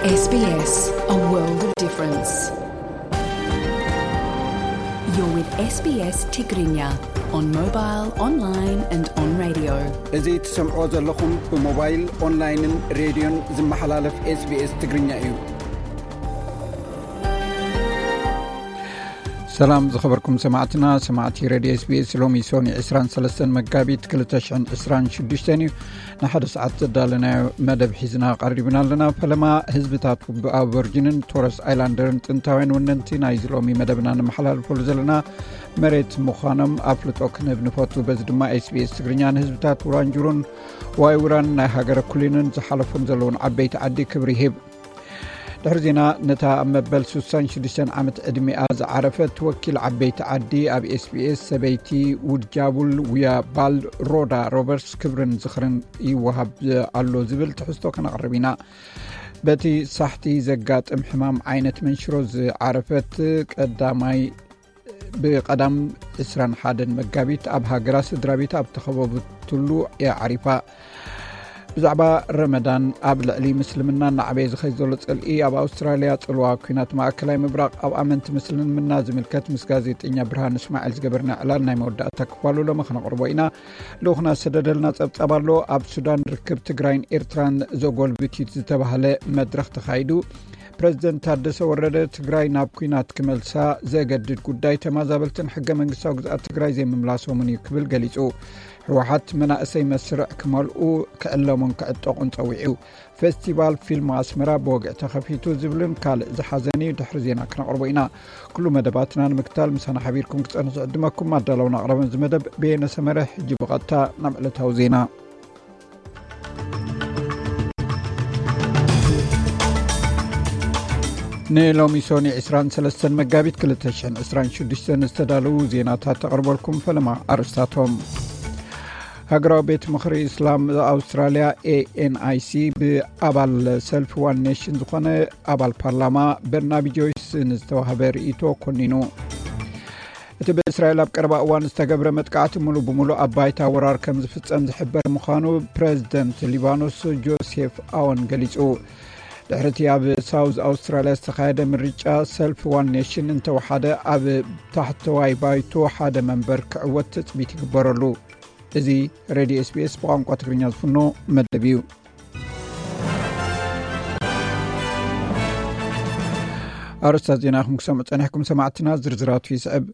S B S, a world of difference. You're with S B S Tigrinya on mobile, online and on radio. እዚ ትሰምዕዎ ዘለኹም ብሞባይል፣ ኦንላይንን ሬድዮን ዝመሓላለፍ SBS ትግርኛ እዩ። ሰላም ዝኸበርኩም ሰማዕትና፣ ሰማዕቲ ሬድዮ SBS። ሎሚ ሶኒ ዕስራን ሰለስተን መጋቢት ክልተ ሽሕን ዕስራን ሽዱሽተን እዩ። ንሓደ ሰዓት ዘዳለናዮ መደብ ሒዝና ቀሪብና ኣለና። ፈለማ ህዝብታት ኣቦርጅንን ቶረስ ኣይላንደርን ጥንታውያን ወነንቲ ናይዚ ሎሚ መደብና ንመሓላልፈሉ ዘለና መሬት ምዃኖም ኣፍልጦ ክንህብ ንፈቱ። በዚ ድማ SBS ትግርኛ ንህዝብታት ውራንጁሩን ዋይ ውራን ናይ ሃገረ ኩሊንን ዝሓለፉን ዘለውን ዓበይቲ ዓዲ ክብሪ ይህብ። ድሕሪ ዜና ነታ ኣብ መበል ስሳን ሽዱሽተን ዓመት ዕድሚኣ ዝዓረፈት ወኪል ዓበይቲ ዓዲ ኣብ SBS ሰበይቲ ውድጃቡል ውያ ባል ሮዳ ሮበርትስ ክብርን ዝኽርን ይወሃብ ኣሎ ዝብል ትሕዝቶ ከነቕርብ ኢና። በቲ ሳሕቲ ዘጋጥም ሕማም ዓይነት መንሽሮ ዝዓረፈት ቀዳማይ ብቐዳም ዕስራን ሓደን መጋቢት ኣብ ሃገራ ስድራ ቤት ኣብ ተኸበበትሉ እያ ዓሪፋ። ብዛዕባ ረመዳን ኣብ ልዕሊ ምስልምና እናዓበየ ዝኸይ ዘሎ ጽልኢ ኣብ ኣውስትራልያ ጽልዋ ኲናት ማእከላይ ምብራቕ ኣብ ኣመንቲ ምስልምና ዝምልከት ምስ ጋዜጠኛ ብርሃን እስማኤል ዝገበርና ዕላል ናይ መወዳእታ ክፋሉ ሎሚ ክነቕርቦ ኢና። ልኡኽና ዝሰደደልና ጸብጻብ ኣሎ። ኣብ ሱዳን ርክብ ትግራይን ኤርትራን ዘጎልብት እዩ ዝተባህለ መድረኽ ተኻይዱ። ፕረዚደንት ታደሰ ወረደ ትግራይ ናብ ኲናት ክመልሳ ዘገድድ ጉዳይ ተማዛበልትን ሕገ መንግስታዊ ግዝኣት ትግራይ ዘይምምላሶምን እዩ ክብል ገሊጹ። ህወሓት መናእሰይ መስርዕ ክመልኡ ክዕለሙን ክዕጠቑን ጸዊዑ። ፌስቲቫል ፊልም ኣስመራ ብወግዒ ተኸፊቱ ዝብልን ካልእ ዝሓዘን እዩ ድሕሪ ዜና ክነቕርቦ ኢና። ኩሉ መደባትና ንምክታል ምሳና ሓቢርኩም ክጸንሑ ዝዕድመኩም ኣዳለውን ኣቕረበን እዚ መደብ በየነ ሰመረ። ሕጂ ብቐጥታ ናብ ዕለታዊ ዜና። ንሎሚ ሶኒ ዕስራን ሰለስተን መጋቢት ክልተ ሽሕን ዕስራን ሽዱሽተን ዝተዳለዉ ዜናታት ተቕርበልኩም። ፈለማ ኣርእስታቶም። ሃገራዊ ቤት ምኽሪ እስላም ኣውስትራልያ ኤኤንኣይሲ ብኣባል ሰልፊ ዋን ኔሽን ዝኾነ ኣባል ፓርላማ በርናቢ ጆይስ ንዝተዋህበ ርእይቶ ኮኒኑ። እቲ ብእስራኤል ኣብ ቀረባ እዋን ዝተገብረ መጥቃዕቲ ሙሉእ ብሙሉእ ኣብ ባይታ ወራር ከም ዝፍጸም ዝሕበር ምዃኑ ፕረዚደንት ሊባኖስ ጆሴፍ ኣወን ገሊጹ። ድሕሪ እቲ ኣብ ሳውዝ ኣውስትራልያ ዝተኻየደ ምርጫ ሰልፊ ዋን ኔሽን እንተወሓደ ኣብ ታሕተዋይ ባይቶ ሓደ መንበር ክዕወት ትጽቢት ይግበረሉ። እዚ ሬድዮ SBS ብቋንቋ ትግርኛ ዝፍኖ መደብ እዩ። ኣርእስታት ዜና ኢኹም ክሰምዑ ጸኒሕኩም ሰማዕትና፣ ዝርዝራቱ ይስዕብ።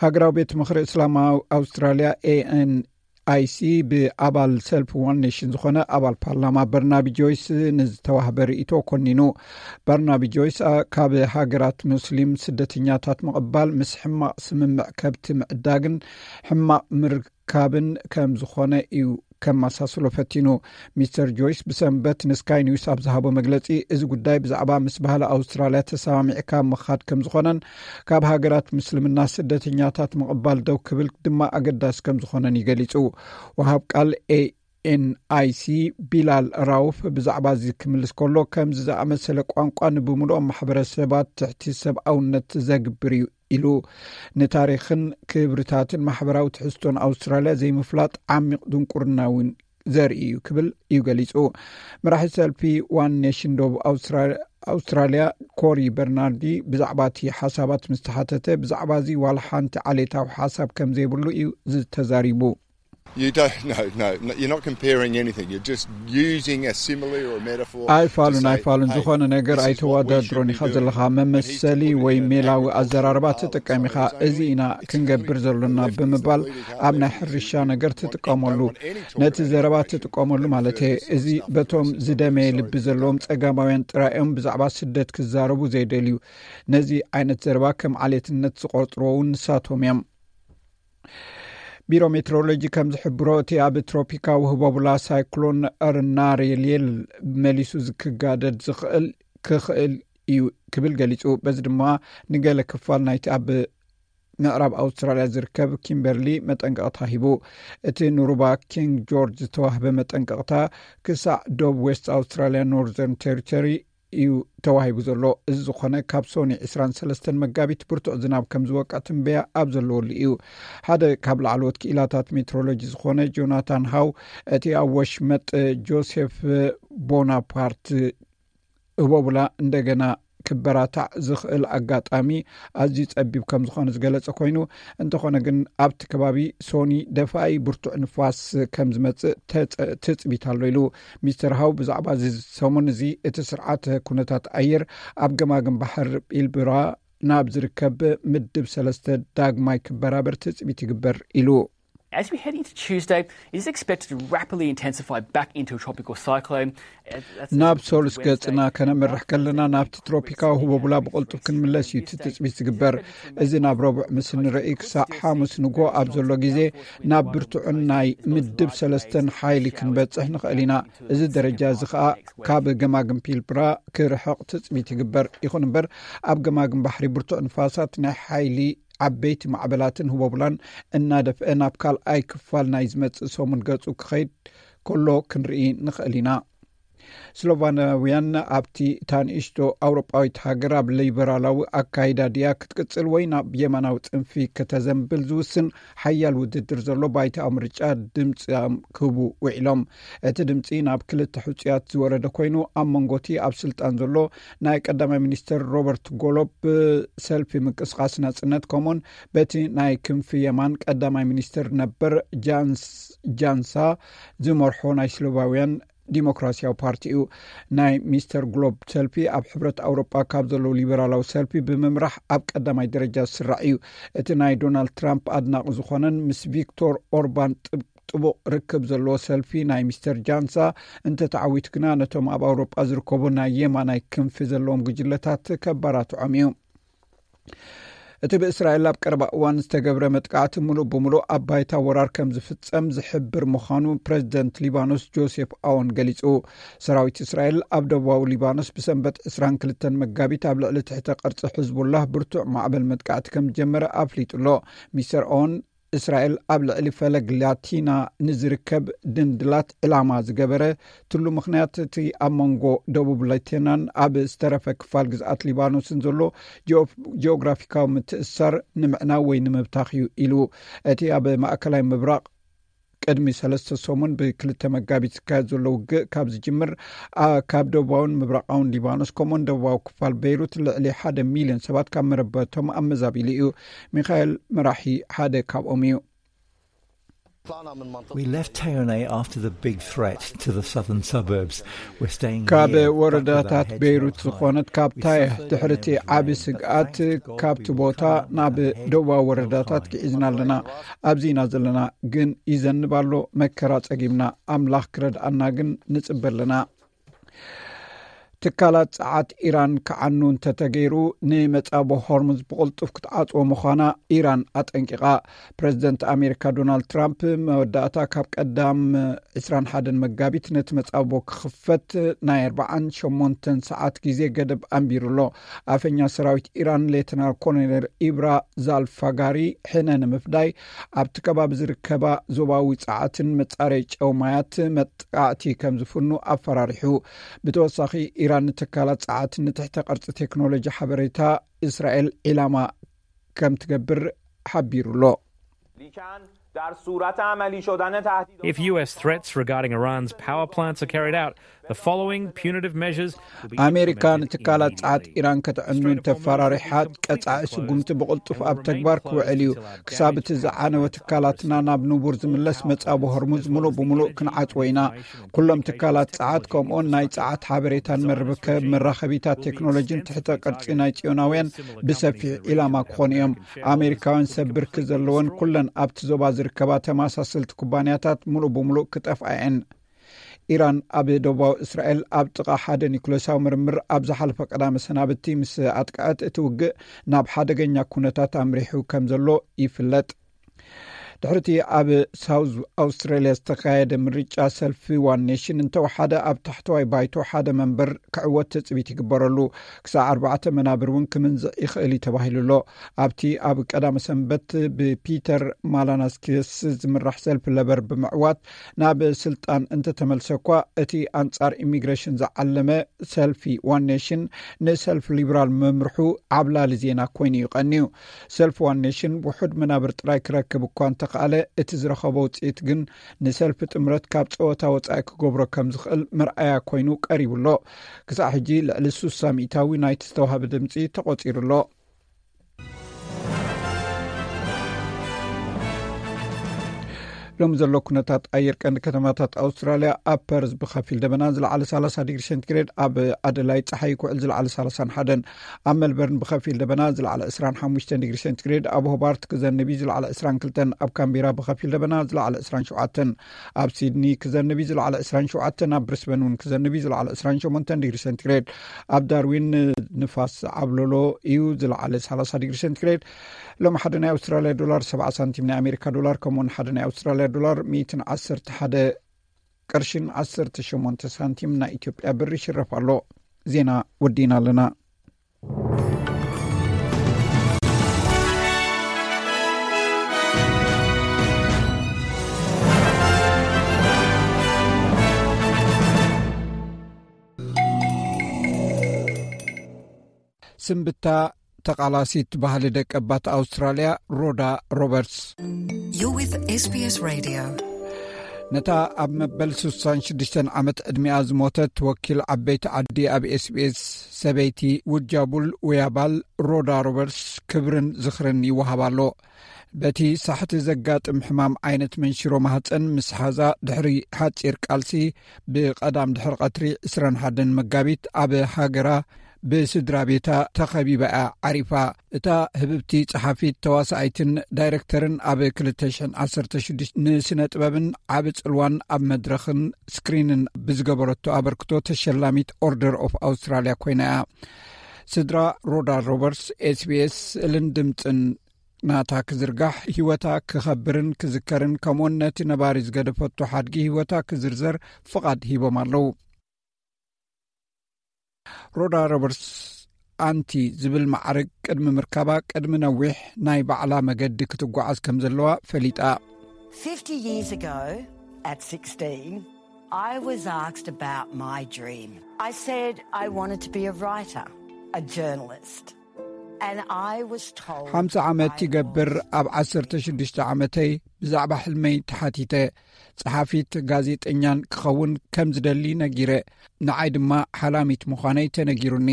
ሃገራዊ ቤት ምኽሪ እስላማዊ ኣውስትራልያ ኤኤንኣይሲ ብኣባል ሰልፊ ዋን ኔሽን ዝኾነ ኣባል ፓርላማ በርናቢ ጆይስ ንዝተዋህበ ርእይቶ ኮኒኑ። በርናቢ ጆይስ ኣ- ካብ ሃገራት ሙስሊም ስደተኛታት ምቕባል ምስ ሕማቕ ስምምዕ ከብቲ ምዕዳግን ሕማቕ ምርካብን ከም ዝኾነ እዩ ከመሳስሎ ፈቲኑ። ሚስተር ጆይስ ብሰንበት ንስካይ ኒውስ ኣብ ዝሃቦ መግለጺ፣ እዚ ጉዳይ ብዛዕባ ምስ ባህሊ ኣውስትራልያ ተሰማሚዕካ ምኻድ ከም ዝኾነን ካብ ሃገራት ምስልምና ስደተኛታት ምቕባል ደው ክብል ድማ ኣገዳሲ ከም ዝኾነን እዩ ገሊጹ። ወሃብ ቃል ኤኤንኣይሲ ቢላል ራውፍ ብዛዕባ እዚ ክምልስ ከሎ፣ ከምዚ ዝኣመሰለ ቋንቋ ንብምሉኦም ማሕበረሰባት ትሕቲ ሰብኣውነት ዘግብር እዩ ኢሉ። ንታሪኽን ክብርታትን ማሕበራዊ ትሕዝቶን ኣውስትራልያ ዘይምፍላጥ ዓሚቕ ድንቁርና እውን ዘርኢ እዩ ክብል እዩ ገሊጹ። መራሒ ሰልፊ ዋን ኔሽን ደቡብ ኣውስትራ- ኣውስትራልያ ኮሪ በርናርዲ ብዛዕባ እቲ ሓሳባት ምስ ተሓተተ፣ ብዛዕባ እዚ ዋላ ሓንቲ ዓሌታዊ ሓሳብ ከም ዘይብሉ እዩ ዝተዛሪቡ። You don't, no, no, no, you're not comparing anything. You're just using a simile or a metaphor to ኣይፋሉን say, ኣይፋሉን hey, ዝኾነ ነገር this is what we should ኣይተዋዳድሮን be ኢኻ doing. ዘለኻ። And he's መመሰሊ ወይ completely ሜላዊ inaccurate. ኣዘራርባ It's ትጥቀም ኢኻ። It's እዚ ኢና it's ክንገብር completely ዘሎና left. It's ብምባል completely ኣብ ናይ ሕርሻ ነገር ትጥቀመሉ። ነቲ ዘረባ ትጥቀመሉ ማለት እየ። እዚ በቶም ዝደመየ ልቢ ዘለዎም ጸጋማውያን ጥራይ እዮም ብዛዕባ ስደት ክዛረቡ ዘይደልዩ። ነዚ ዓይነት ዘረባ ከም ዓሌትነት ዝቆጽርዎ እውን ንሳቶም እዮም። ቢሮ ሜትሮሎጂ ከም ዝሕብሮ፣ እቲ ኣብ ትሮፒካዊ ህቦብላ ሳይክሎን ርናሬልየል መሊሱ ክጋደድ ዝኽእል ክኽእል እዩ ክብል ገሊጹ። በዚ ድማ ንገለ ክፋል ናይቲ ኣብ ምዕራብ ኣውስትራልያ ዝርከብ ኪምበርሊ መጠንቀቕታ ሂቡ። እቲ ንሩባ ኪንግ ጆርጅ ዝተዋህበ መጠንቀቕታ ክሳዕ ዶብ ዌስት ኣውስትራልያ ኖርዘርን ቴሪቶሪ እዩ ተዋሂቡ ዘሎ። እዚ ዝኾነ ካብ ሶኒ ዕስራን ሰለስተን መጋቢት ብርቱዕ ዝናብ ከም ዝወቅዕ ትንበያ ኣብ ዘለወሉ እዩ። ሓደ ካብ ላዕለዎት ክኢላታት ሜትሮሎጂ ዝኾነ ጆናታን ሃው፣ እቲ ኣብ ወሽመጥ ጆሴፍ ቦናፓርት ህቦብላ እንደገና ክበራታዕ ዝኽእል ኣጋጣሚ ኣዝዩ ጸቢብ ከም ዝኾነ ዝገለጸ ኮይኑ፣ እንተኾነ ግን ኣብቲ ከባቢ ሶኒ ደፋኢ ብርቱዕ ንፋስ ከም ዝመጽእ ተጸ-፣ ትጽቢት ኣሎ ኢሉ። ሚስተር ሃው ብዛዕባ እዚ ሰሙን እዚ እቲ ስርዓተ ኩነታት ኣየር ኣብ ገማግም ባሕር ቢልብራ ናብ ዝርከብ ምድብ ሰለስተ ዳግማይ ክበራበር ትጽቢት ይግበር ኢሉ። As we head into Tuesday, it is expected to rapidly intensify back into a tropical cyclone. Uh, that's ናብ ሶሉስ ገጽና ከነምርሕ ከለና ናብቲ ትሮፒካዊ ህቦብላ ብቕልጡፍ ክንምለስ እዩ እቲ ትጽቢት ዝግበር። እዚ ናብ ረቡዕ ምስ ንርኢ ክሳዕ ሓሙስ ንጎ ኣብ ዘሎ ግዜ ናብ ብርቱዕን ናይ ምድብ ሰለስተን ሓይሊ ክንበጽሕ ንኽእል ኢና። እዚ ደረጃ እዚ ኸኣ ካብ ገማግም ፒልብራ ክርሕቕ ትጽቢት ይግበር። ይኹን እምበር ኣብ ገማግም ባሕሪ ብርቱዕ ንፋሳት ናይ ሓይሊ ዓበይቲ ማዕበላትን ህቦብላን እናደፍአ ናብ ካልኣይ ክፋል ናይ ዝመጽእ ሰሙን ገጹ ክኸይድ ከሎ ክንርኢ ንኽእል ኢና። ስሎቫናውያን ኣብቲ እታ ንእሽቶ ኣውሮጳዊት ሃገር ኣብ ሊበራላዊ ኣካይዳ ድያ ክትቅጽል ወይ ናብ የማናዊ ጽንፊ ከተዘንብል ዝውስን ሓያል ውድድር ዘሎ ባይታ ምርጫ ድምፂ ክህቡ ውዒሎም። እቲ ድምፂ ናብ ክልተ ሕፁያት ዝወረደ ኮይኑ ኣብ መንጎቲ ኣብ ስልጣን ዘሎ ናይ ቀዳማይ ሚኒስትር ሮበርት ጎሎብ ሰልፊ ምንቅስቃስ ናፅነት ከምኡን በቲ ናይ ክንፊ የማን ቀዳማይ ሚኒስትር ነበር ጃንስ ጃንሳ ዝመርሖ ናይ ስሎቫውያን ዲሞክራሲያዊ ፓርቲ እዩ። ናይ ሚስተር ግሎብ ሰልፊ ኣብ ሕብረት ኣውሮጳ ካብ ዘለዉ ሊበራላዊ ሰልፊ ብምምራሕ ኣብ ቀዳማይ ደረጃ ዝስራዕ እዩ። እቲ ናይ ዶናልድ ትራምፕ ኣድናቂ ዝኾነን ምስ ቪክቶር ኦርባን ጥብ-፣ ጥቡቕ ርክብ ዘለዎ ሰልፊ ናይ ሚስተር ጃንሳ እንተተዓዊቱ ግና ነቶም ኣብ ኣውሮጳ ዝርከቡ ናይ የማናይ ክንፊ ዘለዎም ጉጅለታት ከባራትዖም እዩ። እቲ ብእስራኤል ኣብ ቀረባ እዋን ዝተገብረ መጥቃዕቲ ምሉእ ብምሉእ ኣብ ባይታ ወራር ከም ዝፍጸም ዝሕብር ምዃኑ ፕረዚደንት ሊባኖስ ጆሴፍ ኣውን ገሊጹ። ሰራዊት እስራኤል ኣብ ደቡባዊ ሊባኖስ ብሰንበት ዕስራን ክልተን መጋቢት ኣብ ልዕሊ ትሕተ ቅርጺ ሕዝቡላህ ብርቱዕ ማዕበል መጥቃዕቲ ከም ዝጀመረ ኣፍሊጡ ኣሎ። ሚስተር ኣውን እስራኤል ኣብ ልዕሊ ፈለግ ላቲና ንዝርከብ ድንድላት ዕላማ ዝገበረ ትሉ ምኽንያት እቲ ኣብ መንጎ ደቡብ ላቲናን ኣብ ዝተረፈ ክፋል ግዝኣት ሊባኖስን ዘሎ ጂኦ-፣ ጂኦግራፊካዊ ምትእስሳር ንምዕናው ወይ ንምብታኽ እዩ ኢሉ። እቲ ኣብ ማእከላይ ምብራቕ ቅድሚ ሰለስተ ሰሙን ብክልተ መጋቢት ዝካየድ ዘሎ ውግእ ካብ ዝጅምር፣ ኣ-፣ ካብ ደቡባውን ምብራቓውን ሊባኖስ ከምኡውን ደቡባዊ ክፋል ቤይሩት ልዕሊ ሓደ ሚልዮን ሰባት ካብ መረበቶም ኣመዛቢሉ እዩ። ሚኻኤል መራሒ ሓደ ካብኦም እዩ። We left Tayone after the big threat to the southern suburbs. We're staying ካብ here, but with our ወረዳታት heads ቤይሩት held high. ዝኾነት ካብ We ታይህ suffered ድሕርቲ and ዓቢ suffered, but ስግኣት thank God ካብቲ we ቦታ recovered ናብ and had ደቡባዊ no ወረዳታት fire. ክዒዝና ኣለና። ኣብዚ ኢና ዘለና፣ ግን ይዘንብ ኣሎ፣ መከራ ጸጊምና። ኣምላኽ ክረድኣና ግን ንጽበ ኣለና። ትካላት ጸዓት ኢራን ክዓኑ እንተተገይሩ፣ ንመጻቦ ሆርሙዝ ብቕልጡፍ ክትዓጽዎ ምዃና ኢራን ኣጠንቂቓ። ፕረዚደንት ኣሜሪካ ዶናልድ ትራምፕ መወዳእታ ካብ ቀዳም ዕስራን ሓደን መጋቢት ነቲ መጻቦ ክኽፈት ናይ ኣርባዓን ሸሞንተን ሰዓት ግዜ ገደብ ኣንቢሩ ኣሎ። ኣፈኛ ሰራዊት ኢራን ሌተናል ኮሎኔል ኢብራ ዛልፋጋሪ ሕነ ንምፍዳይ ኣብቲ ከባቢ ዝርከባ ዞባዊ ጸዓትን መጻረይ ጨው ማያት መጥቃዕቲ ከም ዝፍኑ ኣፈራሪሑ። ብተወሳኺ ኢራን ንትካላት ጸዓት ንትሕተ ቅርጺ ቴክኖሎጂ ሓበሬታ እስራኤል ዒላማ ከም ትገብር ሓቢሩ ኣሎ። در صورت عملی شدن تهدید If U S threats regarding Iran's power plants are carried out, the following punitive measures will be ኣሜሪካ implemented ንትካላት ጸዓት immediately. ኢራን ከተዕኑ እንተፈራሪሓት፣ ቀጻዒ ስጉምቲ ብቕልጡፍ ኣብ ተግባር ክውዕል እዩ። ክሳብ እቲ ዝዓነወ ትካላትና ናብ ንቡር ዝምለስ መጻብ ሆርሙዝ ምሉእ ብምሉእ ክንዓጽዎ ኢና። ኩሎም ትካላት ጸዓት ከምኡውን ናይ ጸዓት ሓበሬታን መርብከብ መራኸቢታት ቴክኖሎጂን ትሕተ ቅርጺ ናይ ጽዮናውያን ብሰፊሕ ዒላማ ክኾኑ እዮም። ኣሜሪካውያን ሰብ ብርኪ ዘለወን ኩለን ኣብቲ ዞባ ዝርከባ ተመሳሰልቲ ኩባንያታት ምሉእ ብምሉእ ክጠፍኣ እየን። ኢራን ኣብ ደቡባዊ እስራኤል ኣብ ጥቓ ሓደ ኒኩሌሳዊ ምርምር ኣብ ዝሓለፈ ቀዳመ ሰናብቲ ምስ ኣጥቅዐት፣ እቲ ውግእ ናብ ሓደገኛ ኩነታት ኣምሪሑ ከም ዘሎ ይፍለጥ። ድሕርቲ ኣብ ሳውዝ ኣውስትራሊያ ዝተኻየደ ምርጫ፣ ሰልፊ ዋን ኔሽን እንተወሓደ ኣብ ታሕተዋይ ባይቶ ሓደ መንበር ክዕወት ትጽቢት ይግበረሉ። ክሳዕ ኣርባዕተ መናብር እውን ክምንዝዕ ይኽእል እዩ ተባሂሉ ኣሎ። ኣብቲ ኣብ ቀዳመ ሰንበት ብፒተር ማላናስኪስ ዝምራሕ ሰልፊ ለበር ብምዕዋት ናብ ስልጣን እንተተመልሰ እኳ፣ እቲ ኣንጻር ኢሚግሬሽን ዝዓለመ ሰልፊ ዋን ኔሽን ንሰልፊ ሊብራል ምምርሑ ዓብላሊ ዜና ኮይኑ እዩ ቀንዩ። ሰልፊ ዋን ኔሽን ውሑድ መናብር ጥራይ ክረክብ እኳ እንተ ከኣለ፣ እቲ ዝረኸቦ ውፅኢት ግን ንሰልፊ ጥምረት ካብ ፀወታ ወፃኢ ክገብሮ ከም ዝኽእል መርኣያ ኮይኑ ቀሪቡ ኣሎ። ክሳዕ ሕጂ ልዕሊ ሱሳ ሚእታዊ ናይቲ ዝተዋህበ ድምፂ ተቖፂሩ ኣሎ። ሎም ዘሎ ኩነታት ኣየር ቀንዲ ከተማታት ኣውስትራልያ፣ ኣብ ፐርዝ ብኸፊል ደበና ዝለዓለ ሰላሳ ዲግሪ ሴንቲግሬድ፣ ኣብ ኣደላይ ፀሓይ ክውዕል ዝለዓለ ሰላሳን ሓደን፣ ኣብ ሜልበርን ብኸፊል ደበና ዝለዓለ ዕስራን ሓሙሽተን ዲግሪ ሴንቲግሬድ፣ ኣብ ሆባርት ክዘንብ እዩ ዝለዓለ ዕስራን ክልተን፣ ኣብ ካምቤራ ብኸፊል ደበና ዝለዓለ ዕስራን ሸውዓተን፣ ኣብ ሲድኒ ክዘንብ እዩ ዝለዓለ ዕስራን ሸውዓተን፣ ኣብ ብሪስበን እውን ክዘንብ እዩ ዝለዓለ ዕስራን ሸሞንተን ዲግሪ ሴንቲግሬድ፣ ኣብ ዳርዊን ንፋስ ዓብሎሎ እዩ ዝለዓለ ሰላሳ ዲግሪ ሴንቲግሬድ። ሎም ሓደ ናይ ኣውስትራልያ ዶላር ሰብዓ ሳንቲም፣ ናይ ኣሜሪካ ዶላር ከምኡውን ሓደ ናይ ኣውስትራልያ ዶላር ሚእትን ዓሰርተ ሓደ ቅርሽን ዓሰርተ ሸሞንተ ሳንቲም ናይ ኢትዮጵያ ብር ይሽረፍ ኣሎ። ዜና ወዲና ኣለና። ስንብታ ተቓላሲት ባህሊ ደቀባት ኣውስትራልያ ሮዳ ሮበርትስ። You're with SBS Radio. ነታ ኣብ መበል ስሳን ሽዱሽተን ዓመት ዕድሚኣ ዝሞተት ወኪል ዓበይቲ ዓዲ ኣብ SBS ሰበይቲ ውጃቡል ውያባል ሮዳ ሮበርትስ ክብርን ዝኽርን ይወሃባ ኣሎ። በቲ ሳሕቲ ዘጋጥም ሕማም ዓይነት መንሽሮ ማህፀን ምስ ሓዛ ድሕሪ ሓፂር ቃልሲ፣ ብቐዳም ድሕሪ ቀትሪ ዕስራን ሓደን መጋቢት ኣብ ሃገራ ብስድራ ቤታ ተኸቢባ እያ ዓሪፋ። እታ ህብብቲ ጸሓፊት፣ ተዋሳኣይትን ዳይረክተርን፣ ኣብ ክልተ ሽሕን ዓሰርተ ሽዱሽተ ንስነ ጥበብን ዓቢ ጽልዋን ኣብ መድረኽን ስክሪንን ብዝገበረቶ ኣበርክቶ ተሸላሚት ኦርደር ኦፍ ኣውስትራልያ ኮይና እያ። ስድራ ሮዳ ሮበርትስ SBS ስእልን ድምጽን ናታ ክዝርጋሕ፣ ህይወታ ክኸብርን ክዝከርን፣ ከምኡውን ነቲ ነባሪ ዝገደፈቶ ሓድጊ ህይወታ ክዝርዘር ፍቓድ ሂቦም ኣለዉ። ሮዳ ሮበርትስ ኣንቲ ዝብል ማዕርግ ቅድሚ ምርካባ፣ ቅድሚ ነዊሕ ናይ ባዕላ መገዲ ክትጓዓዝ ከም ዘለዋ ፈሊጣ። Fifty years ago, at sixteen, I was asked about my dream. I said I wanted to be a writer, a journalist. And I was told ሓምሳ ዓመት I ይገብር፣ was ኣብ ዓሰርተ ሽዱሽተ ዓመተይ ብዛዕባ ሕልመይ ተሓቲተ። ጸሓፊት ጋዜጠኛን ክኸውን ከም ዝደሊ ነጊረ። ንዓይ ድማ ሓላሚት ምዃነይ ተነጊሩኒ።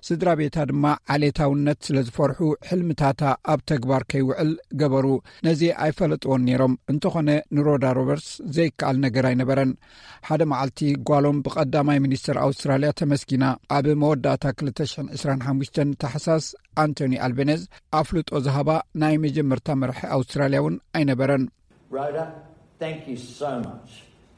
ስድራ ቤታ ድማ ዓሌታውነት ስለ ዝፈርሑ፣ ሕልምታታ ኣብ ተግባር ከይውዕል ገበሩ። ነዚ ኣይፈለጥዎን ነይሮም። እንተኾነ፣ ንሮዳ ሮበርትስ ዘይከኣል ነገር ኣይነበረን። ሓደ መዓልቲ ጓሎም ብቐዳማይ ሚኒስተር ኣውስትራልያ ተመስጊና። ኣብ መወዳእታ ክልተ ሽሕን ዕስራን ሓሙሽተን ታሕሳስ፣ ኣንቶኒ ኣልቤነዝ ኣፍልጦ ዝሃባ ናይ መጀመርታ መራሒ ኣውስትራልያ እውን ኣይነበረን። Rhoda, thank you so much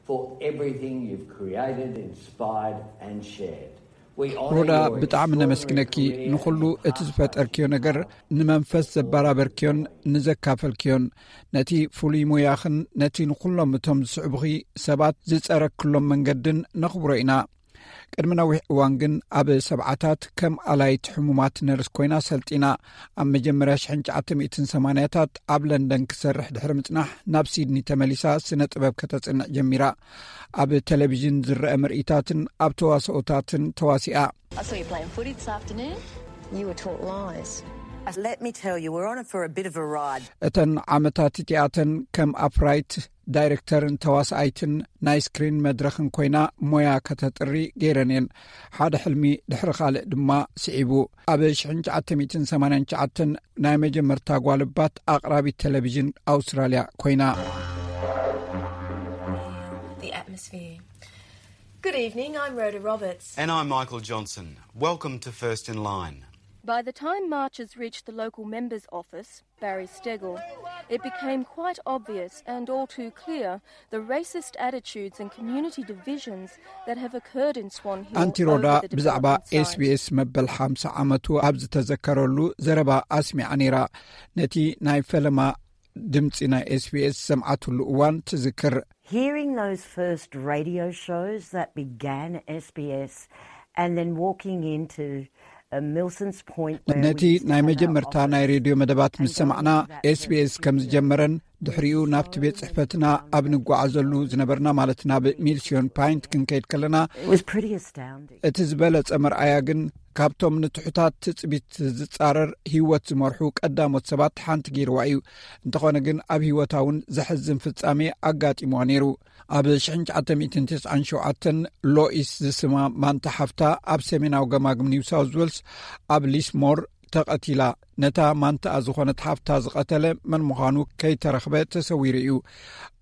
for everything you've created, inspired and shared. We honour ሮዳ፣ your ብጣዕሚ extraordinary ነመስግነኪ፣ career ንኹሉ and እቲ ዝፈጠርክዮ ነገር፣ ንመንፈስ ዘበራበርክዮን ንዘካፈልክዮን፣ ነቲ ፍሉይ ሞያኽን ነቲ ንኹሎም እቶም ዝስዕቡኺ ሰባት ዝጸረክሎም መንገድን ነኽብሮ ኢና። ቅድሚ ነዊሕ እዋን ግን ኣብ ሰብዓታት ከም ኣላይት ሕሙማት ነርስ ኮይና ሰልጢና። ኣብ መጀመርያ ሽሕን ትሽዓተ ሚእትን ሰማንያታት ኣብ ለንደን ክሰርሕ ድሕሪ ምጽናሕ፣ ናብ ሲድኒ ተመሊሳ ስነ ጥበብ ከተጽንዕ ጀሚራ። ኣብ ቴሌቪዥን ዝረአ ምርኢታትን ኣብ ተዋስኦታትን ተዋሲኣ። I saw you playing footy this afternoon. You were taught lies. Let me tell you, we're on it for a bit of a ride. እተን ዓመታት እቲኣተን ከም ኣፍራይት ዳይሬክተርን ተዋስኣይትን ናይ ስክሪን መድረኽን ኮይና ሞያ ከተጥሪ ገይረን እየን። ሓደ ሕልሚ ድሕሪ ካልእ ድማ ስዒቡ። ኣብ ሽሕን ትሽዓተ ሚእትን ሰማንያን ትሽዓተን ናይ መጀመርታ ጓልባት ኣቕራቢት ቴሌቪዥን ኣውስትራልያ ኮይና። The atmosphere. Good evening, I'm Rhoda Roberts. And I'm Michael Johnson. Welcome to First in Line. By the time marchers reached the local member's office, Barry Steggall, it became quite obvious and all too clear the racist attitudes and community divisions that have occurred in Swan Hill ኣንቲ ሮዳ over the ብዛዕባ development site. SBS መበል ሓምሳ ዓመቱ ኣብ ዝተዘከረሉ ዘረባ ኣስሚዓ ነይራ። ነቲ ናይ ፈለማ ድምጺ ናይ SBS ዝሰምዓትሉ እዋን ትዝክር። Hearing those first radio shows that began SBS and then walking into, uh, Milson's Point where ነቲ we sit ናይ in our መጀመርታ ናይ office ሬድዮ መደባት ምስ ሰማዕና፣ SBS ከም ዝጀመረን ድሕሪኡ ናብቲ ቤት ጽሕፈትና ኣብ ንጓዓዘሉ ዝነበርና፣ ማለት ናብ ሚልሲዮን ፓይንት ክንከይድ ከለና፣ እቲ ዝበለጸ መርኣያ ግን ካብቶም ንትሑታት ትጽቢት ዝጻረር ህይወት ዝመርሑ ቀዳሞት ሰባት ሓንቲ ገይርዋ እዩ። እንተኾነ ግን ኣብ ህይወታ እውን ዘሕዝን ፍጻሜ ኣጋጢምዋ ነይሩ። ኣብ ሽሕን ትሽዓተ ሚእትን ተስዓን ሸውዓተን ሎኢስ ዝስማ ማንታ ሓፍታ ኣብ ሰሜናዊ ገማግም ኒው ሳውዝ ዌልስ ኣብ ሊስሞር ተቐቲላ። ነታ ማንታኣ ዝኾነት ሓፍታ ዝቐተለ መን ምዃኑ ከይተረኽበ ተሰዊሩ እዩ።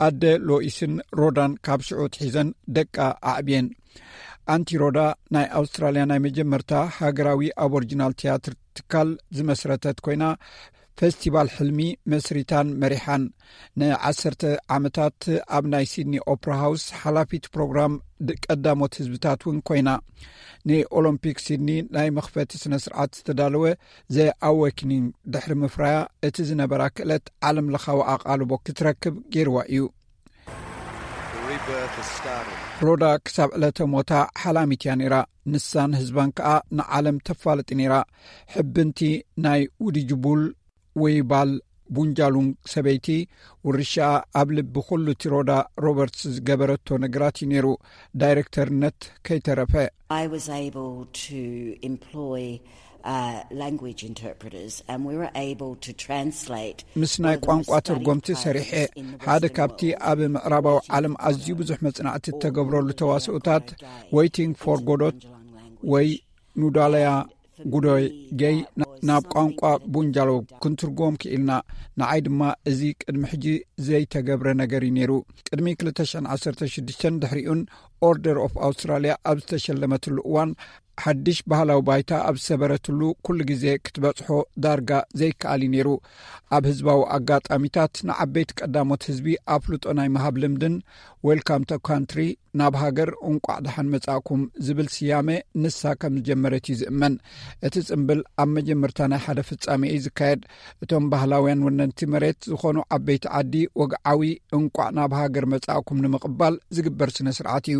ኣደ ሎኢስን ሮዳን ካብ ሽዑ ትሒዘን ደቃ ኣዕብየን። ኣንቲ ሮዳ ናይ ኣውስትራልያ ናይ መጀመርታ ሃገራዊ ኣቦሪጂናል ትያትር ትካል ዝመስረተት ኮይና፣ ፈስቲቫል ሕልሚ መስሪታን መሪሓን። ንዓሰርተ ዓመታት ኣብ ናይ ሲድኒ ኦፕራ ሃውስ ሓላፊት ፕሮግራም ድ-፣ ቀዳሞት ህዝብታት እውን ኮይና። ንኦሎምፒክ ሲድኒ ናይ መኽፈቲ ስነ ስርዓት ዝተዳለወ ዘ ኣወኪኒንግ ድሕሪ ምፍራያ፣ እቲ ዝነበራ ክእለት ዓለም ለኻዊ ኣቓልቦ ክትረክብ ገይርዋ እዩ። ሮዳ ክሳብ ዕለተ ሞታ ሓላሚት እያ ነይራ። ንሳን ህዝባን ከኣ ንዓለም ተፋልጥ ነይራ። ሕብንቲ ናይ ውድጅቡል ወይ ባል ቡንጃሉንግ ሰበይቲ፣ ውርሻኣ ኣብ ልቢ ኩሉ እቲ ሮዳ ሮበርትስ ዝገበረቶ ነገራት እዩ ነይሩ። ዳይሬክተርነት ከይተረፈ። I was able to employ uh, language interpreters, and we were able to translate ምስ ናይ ቋንቋ ተርጎምቲ ሰሪሐ። ሓደ ካብቲ ኣብ ምዕራባዊ ዓለም ኣዝዩ ብዙሕ መጽናዕቲ እተገብረሉ ተዋስኦታት፣ ዌይቲንግ ፎር ጎዶት ወይ ኑዳለያ ጉዶይ ገይ ናብ ቋንቋ ቡንጃሎ ክንትርጎም ክኢልና። ንዓይ ድማ እዚ ቅድሚ ሕጂ ዘይተገብረ ነገር እዩ ነይሩ። ቅድሚ ክልተ ሽሕን ዓሰርተ ሽዱሽተን ድሕሪኡን ኦርደር ኦፍ ኣውስትራልያ ኣብ ዝተሸለመትሉ እዋን፣ ሓድሽ ባህላዊ ባይታ ኣብ ዝሰበረትሉ ኩሉ ግዜ ክትበጽሖ ዳርጋ ዘይከኣል እዩ ነይሩ። ኣብ ህዝባዊ ኣጋጣሚታት ንዓበይቲ ቀዳሞት ህዝቢ ኣፍልጦ ናይ ምሃብ ልምድን፣ ዌልካም ቱ ካንትሪ፣ ናብ ሃገር እንቋዕ ደሓን መጻእኩም ዝብል ስያመ ንሳ ከም ዝጀመረት እዩ ዝእመን። እቲ ጽምብል ኣብ መጀመርታ ናይ ሓደ ፍጻሜ እዩ ዝካየድ። እቶም ባህላውያን ወነንቲ መሬት ዝኾኑ ዓበይቲ ዓዲ ወግዓዊ እንቋዕ ናብ ሃገር መጻእኩም ንምቕባል ዝግበር ስነ ስርዓት እዩ።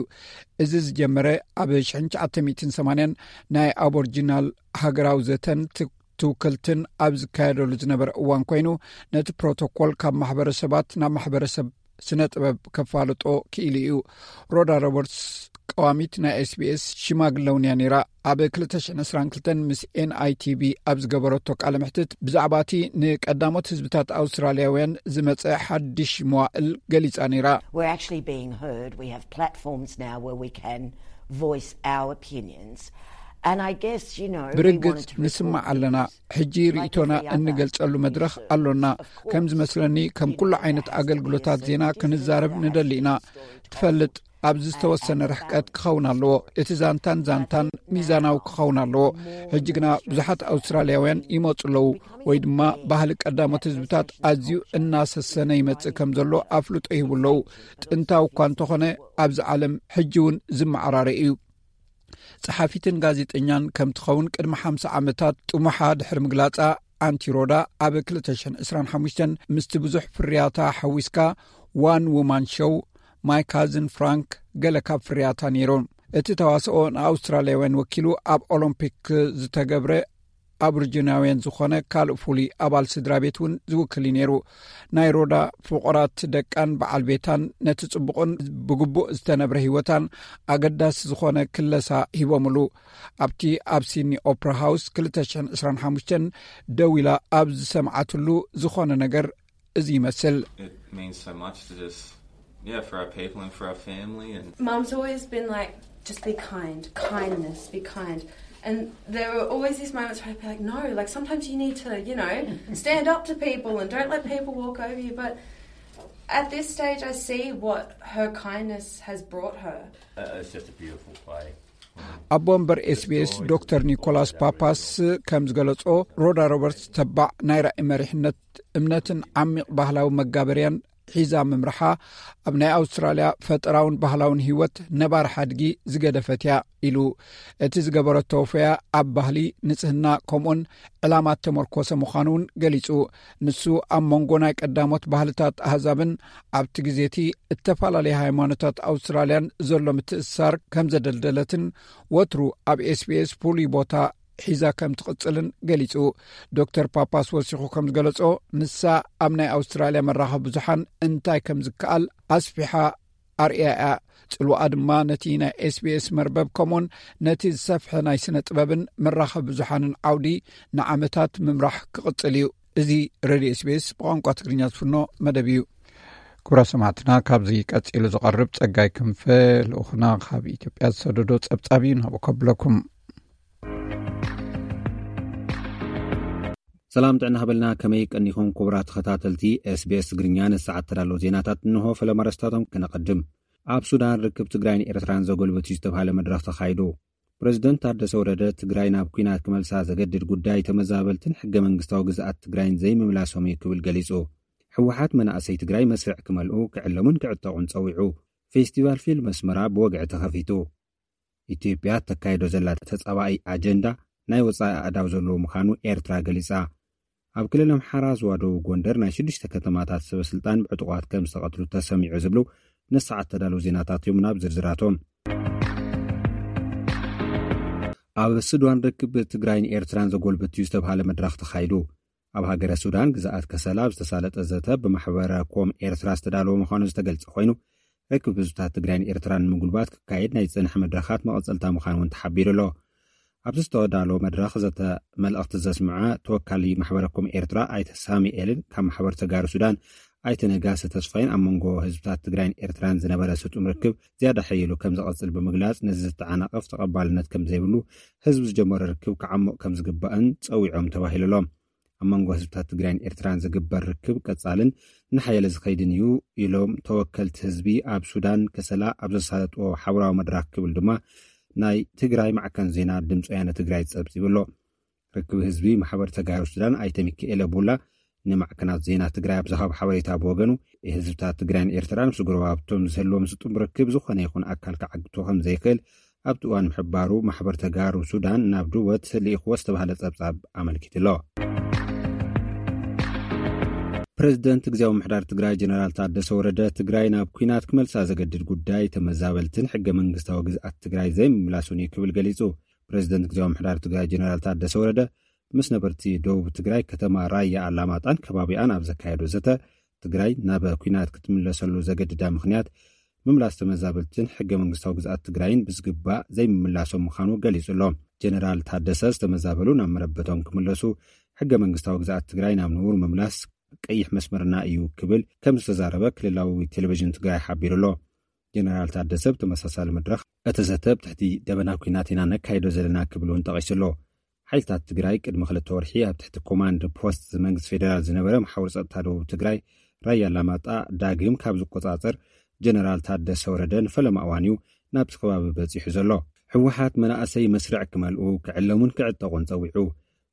እዚ ዝጀመረ ኣብ ሽሕን ትሽዓተ ሚእትን ሰማንያን ናይ ኣቦርጂናል ሃገራዊ ዘተን ት-፣ ትውክልትን ኣብ ዝካየደሉ ዝነበረ እዋን ኮይኑ፣ ነቲ ፕሮቶኮል ካብ ማሕበረሰባት ናብ ማሕበረሰብ ስነ ጥበብ ከፋልጦ ክኢሉ እዩ። ሮዳ ሮበርትስ ቀዋሚት ናይ ኤስቢኤስ ሽማግለ እውን እያ ነይራ። ኣብ ክልተ ሽሕን ዕስራን ክልተን ምስ ኤንኣይቲቪ ኣብ ዝገበረቶ ቃለ መሕትት፣ ብዛዕባ እቲ ንቀዳሞት ህዝብታት ኣውስትራልያውያን ዝመጸ ሓድሽ መዋእል ገሊጻ ነይራ። We're actually being heard. We have platforms now where we can voice our opinions. And I guess, you know, we ብርግጽ wanted to ንስማዕ record ኣለና። things ሕጂ like ርእይቶና every other እንገልጸሉ መድረኽ community ኣሎና። service. Of ከም course, ዝመስለኒ፣ ከም you ኩሉ know, ዓይነት there has to be ኣገልግሎታት a ዜና certain ክንዛረብ distance ንደሊ ኢና። Story ትፈልጥ፣ ኣብዚ ዝተወሰነ ርሕቀት ክኸውን ኣለዎ። እቲ ዛንታን ዛንታን ሚዛናዊ ክኸውን ኣለዎ። ሕጂ ግና ብዙሓት ኣውስትራልያውያን ይመጹ ኣለዉ፣ ወይ ድማ ባህሊ ቀዳሞት ህዝብታት ኣዝዩ እናሰሰነ ይመጽእ ከም ዘሎ ኣፍልጦ ይህቡ ኣለዉ። ጥንታዊ እኳ እንተኾነ፣ ኣብዚ ዓለም ሕጂ እውን ዝመዓራረ እዩ። ጸሓፊትን ጋዜጠኛን ከም ትኸውን ቅድሚ ሓምሳ ዓመታት ጥሙሓ ድሕሪ ምግላጻ፣ ኣንቲ ሮዳ ኣብ ክልተ ሽሕን ዕስራን ሓሙሽተን ምስቲ ብዙሕ ፍርያታ ሓዊስካ ዋን ውማን ሾው ማይ ካዝን ፍራንክ ገለ ካብ ፍርያታ ነይሮም። እቲ ተዋስኦ ንኣውስትራልያውያን ወኪሉ ኣብ ኦሎምፒክ ዝተገብረ ኣብርጅናውያን ዝኾነ ካልእ ፍሉይ ኣባል ስድራ ቤት እውን ዝውክል እዩ ነይሩ። ናይ ሮዳ ፍቑራት ደቃን በዓል ቤታን ነቲ ጽቡቕን ብግቡእ ዝተነብረ ህይወታን ኣገዳሲ ዝኾነ ክለሳ ሂቦምሉ። ኣብቲ ኣብ ሲድኒ ኦፕራ ሃውስ ክልተ ሽሕን ዕስራን ሓሙሽተን ደው ኢላ ኣብ ዝሰምዓትሉ ዝኾነ ነገር እዚ ይመስል። It means so much to just, yeah, for our people and for our family. And Mum's always been like, "Just be kind, kindness, be kind." And there were always these moments where I'd be like, "No, like, sometimes you need to, you know, stand up to people and don't let people walk over you." But at this stage, I see what her kindness has brought her. Uh, it's just a beautiful play. ኣቦ ወንበር ኤስቢኤስ ዶክተር ኒኮላስ ፓፓስ ከም ዝገለጾ፣ ሮዳ ሮበርትስ ተባዕ ናይ ራእይ መሪሕነት፣ እምነትን ዓሚቕ ባህላዊ መጋበርያን ሒዛ ምምርሓ፣ ኣብ ናይ ኣውስትራልያ ፈጠራውን ባህላውን ህይወት ነባር ሓድጊ ዝገደፈት እያ ኢሉ። እቲ ዝገበረቶ ወፈያ ኣብ ባህሊ፣ ንጽህና፣ ከምኡን ዕላማ እተመርኮሰ ምዃኑ እውን ገሊጹ። ንሱ ኣብ መንጎ ናይ ቀዳሞት ባህልታት ኣህዛብን ኣብቲ ግዜ እቲ እተፈላለየ ሃይማኖታት ኣውስትራልያን ዘሎ ምትእስሳር ከም ዘደልደለትን፣ ወትሩ ኣብ ኤስቢኤስ ፍሉይ ቦታ ሒዛ ከም ትቕጽልን ገሊጹ። ዶክተር ፓፓስ ወሲኹ ከም ዝገለጾ፣ ንሳ ኣብ ናይ ኣውስትራልያ መራኸቢ ብዙሓን እንታይ ከም ዝከኣል ኣስፊሓ ኣርእያ እያ። ጽልዋኣ ድማ ነቲ ናይ ኤስቢኤስ መርበብ ከምኡውን ነቲ ዝሰፍሐ ናይ ስነ ጥበብን መራኸቢ ብዙሓንን ዓውዲ ንዓመታት ምምራሕ ክቕጽል እዩ። እዚ ሬድዮ ኤስቢኤስ ብቋንቋ ትግርኛ ዝፍኖ መደብ እዩ። ክቡራት ሰማዕትና፣ ካብዚ ቀጺሉ ዝቐርብ ጸጋይ ክንፈ ልኡኽና ካብ ኢትዮጵያ ዝሰደዶ ጸብጻብ እዩ ናብ ከብለኩም። ሰላም ጥዕና ሃበልና፣ ከመይ ቀኒኹም ክቡራት ተኸታተልቲ ኤስቢኤስ ትግርኛ? ንሰዓት ተዳለዉ ዜናታት እንሆ። ፈለማ ኣርእስታቶም ክነቐድም። ኣብ ሱዳን ርክብ ትግራይን ኤርትራን ዘጎልብት እዩ ዝተባሃለ መድረኽ ተኻይዱ። ፕሬዝደንት ታደሰ ወረደ ትግራይ ናብ ኲናት ክመልሳ ዘገድድ ጉዳይ ተመዛበልትን ሕገ መንግስታዊ ግዝኣት ትግራይን ዘይምምላሶም እዩ ክብል ገሊጹ። ህወሓት መናእሰይ ትግራይ መስርዕ ክመልኡ ክዕለሙን ክዕጠቑን ጸዊዑ። ፌስቲቫል ፊልም ኣስመራ ብወግዒ ተኸፊቱ። ኢትዮጵያ ተካይዶ ዘላ ተጻባኢ ኣጀንዳ ናይ ወጻኢ ኣእዳው ዘለዎ ምዃኑ ኤርትራ ገሊጻ። ኣብ ክልል ኣምሓራ ዞባ ደቡብ ጎንደር ናይ ሽዱሽተ ከተማታት ሰበ ስልጣን ብዕጡቓት ከም ዝተቐትሉ ተሰሚዑ ዝብሉ ንሰዓት ተዳለዉ ዜናታት እዮም። ናብ ዝርዝራቶም። ኣብ ሱዳን ርክብ ትግራይን ኤርትራን ዘጎልብት እዩ ዝተባሃለ መድረኽ ተኻይዱ። ኣብ ሃገረ ሱዳን ግዝኣት ከሰላ ዝተሳለጠ ዘተ ብማሕበረ ኮም ኤርትራ ዝተዳለወ ምዃኑ ዝተገልጸ ኮይኑ፣ ርክብ ህዝብታት ትግራይን ኤርትራን ንምጉልባት ክካየድ ናይ ዝጸንሐ መድረኻት መቐጸልታ ምዃኑ እውን ተሓቢሩ ኣሎ። ኣብዚ ዝተዳለወ መድረኽ ዘተ መልእኽቲ ዘስምዐ ተወካሊ ማሕበረ ኮም ኤርትራ ኣይተ ሳሙኤልን ካብ ማሕበር ተጋሩ ሱዳን ኣይተ ነጋሲ ተስፋይን ኣብ መንጎ ህዝብታት ትግራይን ኤርትራን ዝነበረ ስጡም ርክብ ዝያዳ ሓይሉ ከም ዝቐጽል ብምግላጽ፣ ነዚ ዝተዓናቐፍ ተቐባልነት ከም ዘይብሉ፣ ህዝቢ ዝጀመሮ ርክብ ክዓሙቕ ከም ዝግባእን ጸዊዖም ተባሂሉ ኣሎ። ኣብ መንጎ ህዝብታት ትግራይን ኤርትራን ዝግበር ርክብ ቀጻልን ንሓየለ ዝኸይድን እዩ ኢሎም ተወከልቲ ህዝቢ ኣብ ሱዳን ከሰላ ኣብ ዘሳለጥዎ ሓበራዊ መድረኽ ክብል ድማ ናይ ትግራይ ማዕከን ዜና ድምፂ ወያነ ትግራይ ጸብጺቡ ኣሎ። ርክብ ህዝቢ ማሕበር ተጋሩ ሱዳን ኣይተ ሚካኤለ ቡላ ንማዕከናት ዜና ትግራይ ኣብ ዝሃቦ ሓበሬታ ብወገኑ፣ ህዝብታት ትግራይን ኤርትራን ምስ ጎረባብቶም ዝህልዎም ስጡም ርክብ ዝኾነ ይኹን ኣካል ክዓግቶ ከም ዘይክእል ኣብቲ እዋን ምሕባሩ ማሕበር ተጋሩ ሱዳን ናብ ድወት ልኢኽዎ ዝተባህለ ጸብጻብ ኣመልኪቱ ኣሎ። ፕሬዝደንት ግዝያዊ ምሕዳር ትግራይ ጀነራል ታደሰ ወረደ ትግራይ ናብ ኲናት ክመልሳ ዘገድድ ጉዳይ ተመዛበልትን ሕገ መንግስታዊ ግዝኣት ትግራይ ዘይምምላሱን እዩ ክብል ገሊጹ። ፕሬዝደንት ግዝያዊ ምሕዳር ትግራይ ጀነራል ታደሰ ወረደ ምስ ነበርቲ ደቡብ ትግራይ ከተማ ራያ ኣላማጣን ከባቢኣን ኣብ ዘካየዶ ዘተ፣ ትግራይ ናብ ኲናት ክትምለሰሉ ዘገድዳ ምኽንያት ምምላስ ተመዛበልትን ሕገ መንግስታዊ ግዝኣት ትግራይን ብዝግባእ ዘይምምላሶም ምዃኑ ገሊጹ ኣሎ። ጀነራል ታደሰ ዝተመዛበሉ ናብ መረበቶም ክምለሱ፣ ሕገ መንግስታዊ ግዝኣት ትግራይ ናብ ንቡር ምምላስ ቀይሕ መስመርና እዩ ክብል ከም ዝተዛረበ ክልላዊ ቴሌቪዥን ትግራይ ሓቢሩ ኣሎ። ጀነራል ታደሰ ብተመሳሳሊ መድረኽ እቲ ዘተ ኣብ ትሕቲ ደበና ኲናት ኢና ነካይዶ ዘለና ክብል እውን ጠቒሱ ኣሎ። ሓይልታት ትግራይ ቅድሚ ክልተ ወርሒ ኣብ ትሕቲ ኮማንድ ፖስት መንግስቲ ፌዴራል ዝነበረ መሓውር ጸጥታ ደቡብ ትግራይ ራያ ኣላማጣ ዳግም ካብ ዝቆጻጸር ጀነራል ታደሰ ወረደ ንፈለማ እዋን እዩ ናብቲ ከባቢ በጺሑ ዘሎ። ህወሓት መናእሰይ መስርዕ ክመልኡ ክዕለሙን ክዕጠቑን ጸዊዑ።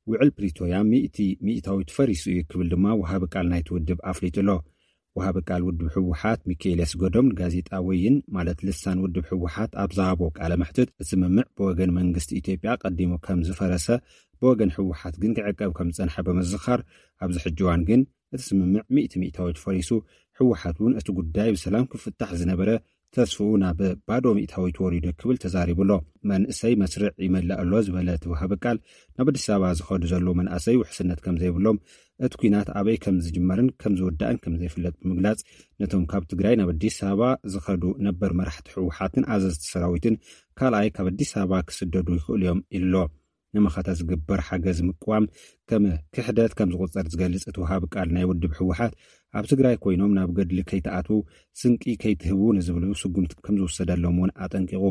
ውዕል ፕሪቶርያ ሚእቲ ሚእታዊት ፈሪሱ እዩ ክብል ድማ ወሃቢ ቃል ናይቲ ውድብ ኣፍሊጡ ኣሎ። ወሃቢ ቃል ውድብ ህወሓት ሚካኤል ያስገዶም ንጋዜጣ ወይን ማለት ልሳን ውድብ ህወሓት ኣብ ዝሃቦ ቃለ መሕትት፣ እቲ ስምምዕ ብወገን መንግስቲ ኢትዮጵያ ቀዲሙ ከም ዝፈረሰ፣ ብወገን ህወሓት ግን ክዕቀብ ከም ዝጸንሐ ብምዝኻር፣ ኣብዚ ሕጂ እዋን ግን እቲ ስምምዕ ሚእቲ ሚእታዊት ፈሪሱ፣ ህወሓት እውን እቲ ጉዳይ ብሰላም ክፍታሕ ዝነበረ ተስፍኡ ናብ ባዶ ሚእታዊት ወሪዱ ክብል ተዛሪቡ ኣሎ። መንእሰይ መስርዕ ይመልእ ኣሎ ዝበለ እቲ ወሃቢ ቃል፣ ናብ ኣዲስ ኣበባ ዝኸዱ ዘለዉ መናእሰይ ውሕስነት ከም ዘይብሎም፣ እቲ ኲናት ኣበይ ከም ዝጅመርን ከም ዝውዳእን ከም ዘይፍለጥ ብምግላጽ፣ ነቶም ካብ ትግራይ ናብ ኣዲስ ኣበባ ዝኸዱ ነበር መራሕቲ ህወሓትን ኣዘዝቲ ሰራዊትን ካልኣይ ካብ ኣዲስ ኣበባ ክስደዱ ይኽእሉ እዮም ኢሉ ኣሎ። ንመኸተ ዝግበር ሓገዝ ምቅዋም ከም ክሕደት ከም ዝቑጸር ዝገልጽ እቲ ወሃቢ ቃል ናይ ውድብ ህወሓት፣ ኣብ ትግራይ ኮይኖም ናብ ገድሊ ከይተኣትዉ፣ ስንቂ ከይትህቡ ንዝብሉ ስጉምቲ ከም ዝውሰደሎም እውን ኣጠንቂቑ።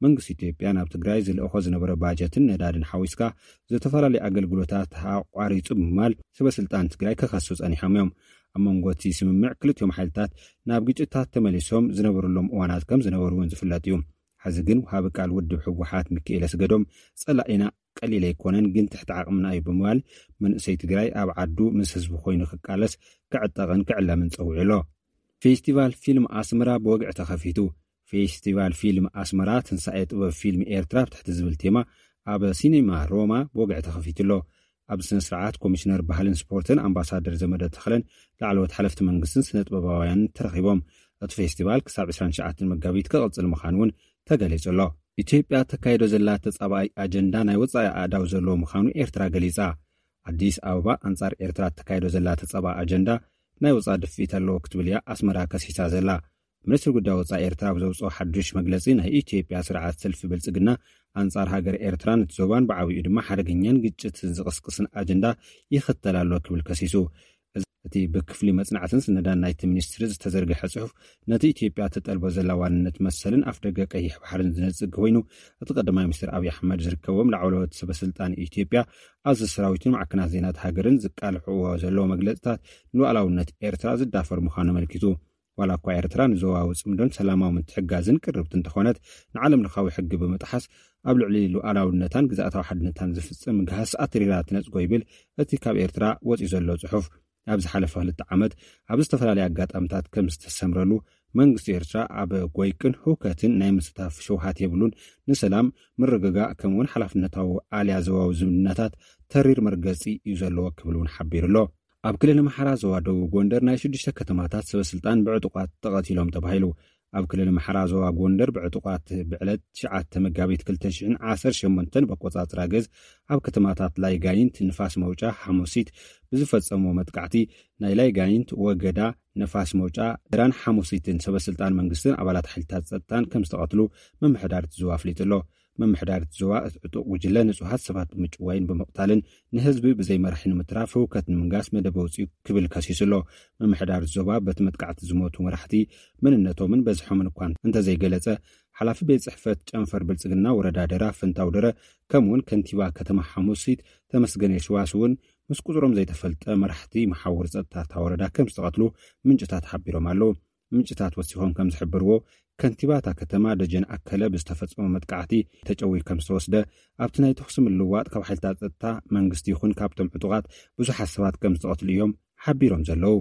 መንግስቲ ኢትዮጵያ ናብ ትግራይ ዝልእኾ ዝነበረ ባጀትን ነዳድን ሓዊስካ ዝተፈላለዩ ኣገልግሎታት ኣቋሪጹ ብምባል ሰበ ስልጣን ትግራይ ክኸሱ ጸኒሖም እዮም። ኣብ መንጎ እቲ ስምምዕ ክልቲኦም ሓይልታት ናብ ግጭታት ተመሊሶም ዝነበሩሎም እዋናት ከም ዝነበሩ እውን ዝፍለጥ እዩ። ሕዚ ግን ወሃቢ ቃል ውድብ ህወሓት ሚካኤል ኣስገዶም፣ ጸላኢና ቀሊል ኣይኮነን፣ ግን ትሕቲ ዓቕምና እዩ ብምባል፣ መንእሰይ ትግራይ ኣብ ዓዱ ምስ ህዝቢ ኮይኑ ክቃለስ፣ ክዕጠቕን ክዕለምን ጸዊዑ ኣሎ። ፌስቲቫል ፊልም ኣስመራ ብወግዒ ተኸፊቱ። ፌስቲቫል ፊልም ኣስመራ ትንሳኤ ጥበብ ፊልም ኤርትራ ብትሕቲ ዝብል ቴማ ኣብ ሲኔማ ሮማ ብወግዒ ተኸፊቱ ኣሎ። ኣብ ስነ ስርዓት ኮሚሽነር ባህልን ስፖርትን ኣምባሳደር ዘመደ ተኽለን ላዕለዎት ሓለፍቲ መንግስትን ስነ ጥበባውያንን ተረኺቦም። እቲ ፌስቲቫል ክሳብ ዕስራን ትሽዓተን መጋቢት ክቕጽል ምዃኑ እውን ተገሊጹ ኣሎ። ኢትዮጵያ ተካይዶ ዘላ ተጻባኣይ ኣጀንዳ ናይ ወጻኢ ኣእዳው ዘለዎ ምዃኑ ኤርትራ ገሊጻ። ኣዲስ ኣበባ ኣንጻር ኤርትራ ተካይዶ ዘላ ተጻባኣ ኣጀንዳ ናይ ወጻኢ ድፍኢት ኣለዎ ክትብል እያ ኣስመራ ከሲሳ ዘላ። ሚኒስትሪ ጉዳይ ወጻኢ ኤርትራ ኣብ ዘውጽኦ ሓዱሽ መግለጺ፣ ናይ ኢትዮጵያ ስርዓት ሰልፊ ብልጽግና ኣንጻር ሃገር ኤርትራ፣ ነቲ ዞባን ብዓቢኡ ድማ ሓደገኛን ግጭት ዝቕስቅስን ኣጀንዳ ይኽተል ኣሎ ክብል ከሲሱ። እቲ ብክፍሊ መጽናዕትን ስነዳን ናይቲ ሚኒስትሪ ዝተዘርግሐ ጽሑፍ፣ ነቲ ኢትዮጵያ ትጠልቦ ዘላ ዋንነት መሰልን ኣፍደገ ቀይሕ ባሕርን ዝነጽግ ኮይኑ፣ እቲ ቀዳማይ ሚኒስትር ኣብይ ኣሕመድ ዝርከቦም ላዕለዎት ሰበ ስልጣን ኢትዮጵያ፣ ኣዘዝቲ ሰራዊትን ማዕከናት ዜናት ሃገርን ዝቃልሕዎ ዘለዉ መግለጽታት ንሉዓላውነት ኤርትራ ዝዳፈር ምዃኑ ኣመልኪቱ። ዋላ እኳ ኤርትራ ንዞባዊ ጽምዶን ሰላማዊ ምትሕግጋዝን ቅርብቲ እንተኾነት፣ ንዓለም ለኻዊ ሕጊ ብምጥሓስ ኣብ ልዕሊ ሉዓላውነታን ግዝኣታዊ ሓድነታን ዝፍጽም ምግሃስ ኣትሪራ ትነጽጎ ይብል እቲ ካብ ኤርትራ ወጺኡ ዘሎ ጽሑፍ። ኣብ ዝሓለፈ ክልተ ዓመት ኣብ ዝተፈላለየ ኣጋጣሚታት ከም ዝተሰምረሉ፣ መንግስቲ ኤርትራ ኣብ ጎይቅን ህውከትን ናይ ምስታፍ ሸውሃት የብሉን፣ ንሰላም፣ ምርግጋእ ከምኡውን ሓላፍነታዊ ኣልያ ዞባዊ ዝምድናታት ተሪር መርገጺ እዩ ዘለዎ ክብል እውን ሓቢሩ ኣሎ። ኣብ ክልል ኣምሓራ ዞባ ደቡብ ጎንደር ናይ ሽዱሽተ ከተማታት ሰበ ስልጣን ብዕጡቓት ተቐቲሎም ተባሂሉ። ኣብ ክልል ኣምሓራ ዞባ ጎንደር ብዕጡቓት ብዕለት ትሽዓተ መጋቢት ክልተ ሽሕን ዓሰርተ ሸሞንተን በቆጻጽራ ገዝ ኣብ ከተማታት ላይጋይንት፣ ንፋስ መውጫ፣ ሓሙሲት ብዝፈጸሞ መጥቃዕቲ ናይ ላይጋይንት፣ ወገዳ፣ ነፋስ መውጫ፣ ደራን ሓሙሲትን ሰበ ስልጣን መንግስትን ኣባላት ሓይልታት ጸጥታን ከም ዝተቐትሉ ምምሕዳር እቲ ዞባ ኣፍሊጡ ኣሎ። ምምሕዳር እቲ ዞባ እቲ ዕጡቕ ጉጅለ ንጹሃት ሰባት ብምጭዋይን ብምቕታልን ንህዝቢ ብዘይ መራሒ ንምትራፍ ህውከት ንምንጋስ መደብ ኣውጺኡ ክብል ከሲሱ ኣሎ። ምምሕዳር እቲ ዞባ በቲ መጥቃዕቲ ዝሞቱ መራሕቲ መንነቶምን በዝሖምን እኳ እንተዘይገለጸ፣ ሓላፊ ቤት ጽሕፈት ጨንፈር ብልጽግና ወረዳ ደራ ፍንታው ደረ፣ ከምኡውን ከንቲባ ከተማ ሓሙሲት ተመስገን የሽዋስ እውን ምስ ቁጽሮም ዘይተፈልጠ መራሕቲ መሓውር ጸጥታ እታ ወረዳ ከም ዝተቐትሉ ምንጭታት ሓቢሮም ኣለዉ። ምንጭታት ወሲኾም ከም ዝሕብርዎ፣ ከንቲባ እታ ከተማ ደጀን ኣከለ ብዝተፈጸመ መጥቃዕቲ ተጨውዩ ከም ዝተወስደ፣ ኣብቲ ናይ ተኹሲ ምልውዋጥ ካብ ሓይልታት ጸጥታ መንግስቲ ይኹን ካብቶም ዕጡቓት ብዙሓት ሰባት ከም ዝተቐትሉ እዮም ሓቢሮም ዘለዉ።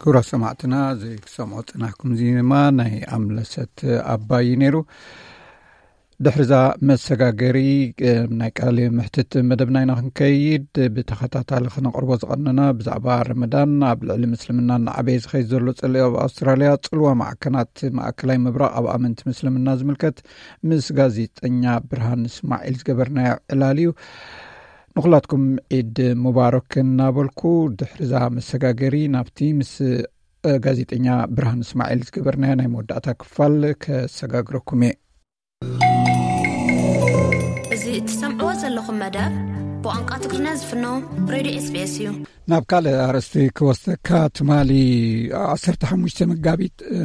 ክቡራት ሰማዕትና፣ እዚ ክሰምዖ ጽናሕኩም ዜማ ናይ ኣምለሰት ኣባይ እዩ ነይሩ። ድሕሪዛ መሰጋገሪ፣ እ፣ ናይ ቃለ ምሕትት መደብና ኢና ክንከይድ። ብተኸታታሊ ክነቕርቦ ዝቐነና ብዛዕባ ረመዳን፣ ኣብ ልዕሊ ምስልምና እናዓበየ ዝኸይድ ዘሎ ጽልኢ ኣብ ኣውስትራልያ፣ ጽልዋ ማዕከናት ማእከላይ ምብራቕ ኣብ ኣመንቲ ምስልምና ዝምልከት ምስ ጋዜጠኛ ብርሃን እስማዒል ዝገበርናዮ ዕላል እዩ። ንኹላትኩም ዒድ ሙባረክ እናበልኩ፣ ድሕሪዛ መሰጋገሪ ናብቲ ምስ፣ እ፣ ጋዜጠኛ ብርሃን እስማዒል ዝገበርናዮ ናይ መወዳእታ ክፋል ከሰጋግረኩም እየ። እዚ እትሰምዕዎ ዘለኹም መደብ ብቋንቋ ትግርኛ ዝፍኖ ሬድዮ ኤስ ቢ ኤስ እዩ። ናብ ካልእ ኣርእስቲ ክወስደካ፣ ትማሊ ዓሰርተ ሓሙሽተ መጋቢት፣ እ፣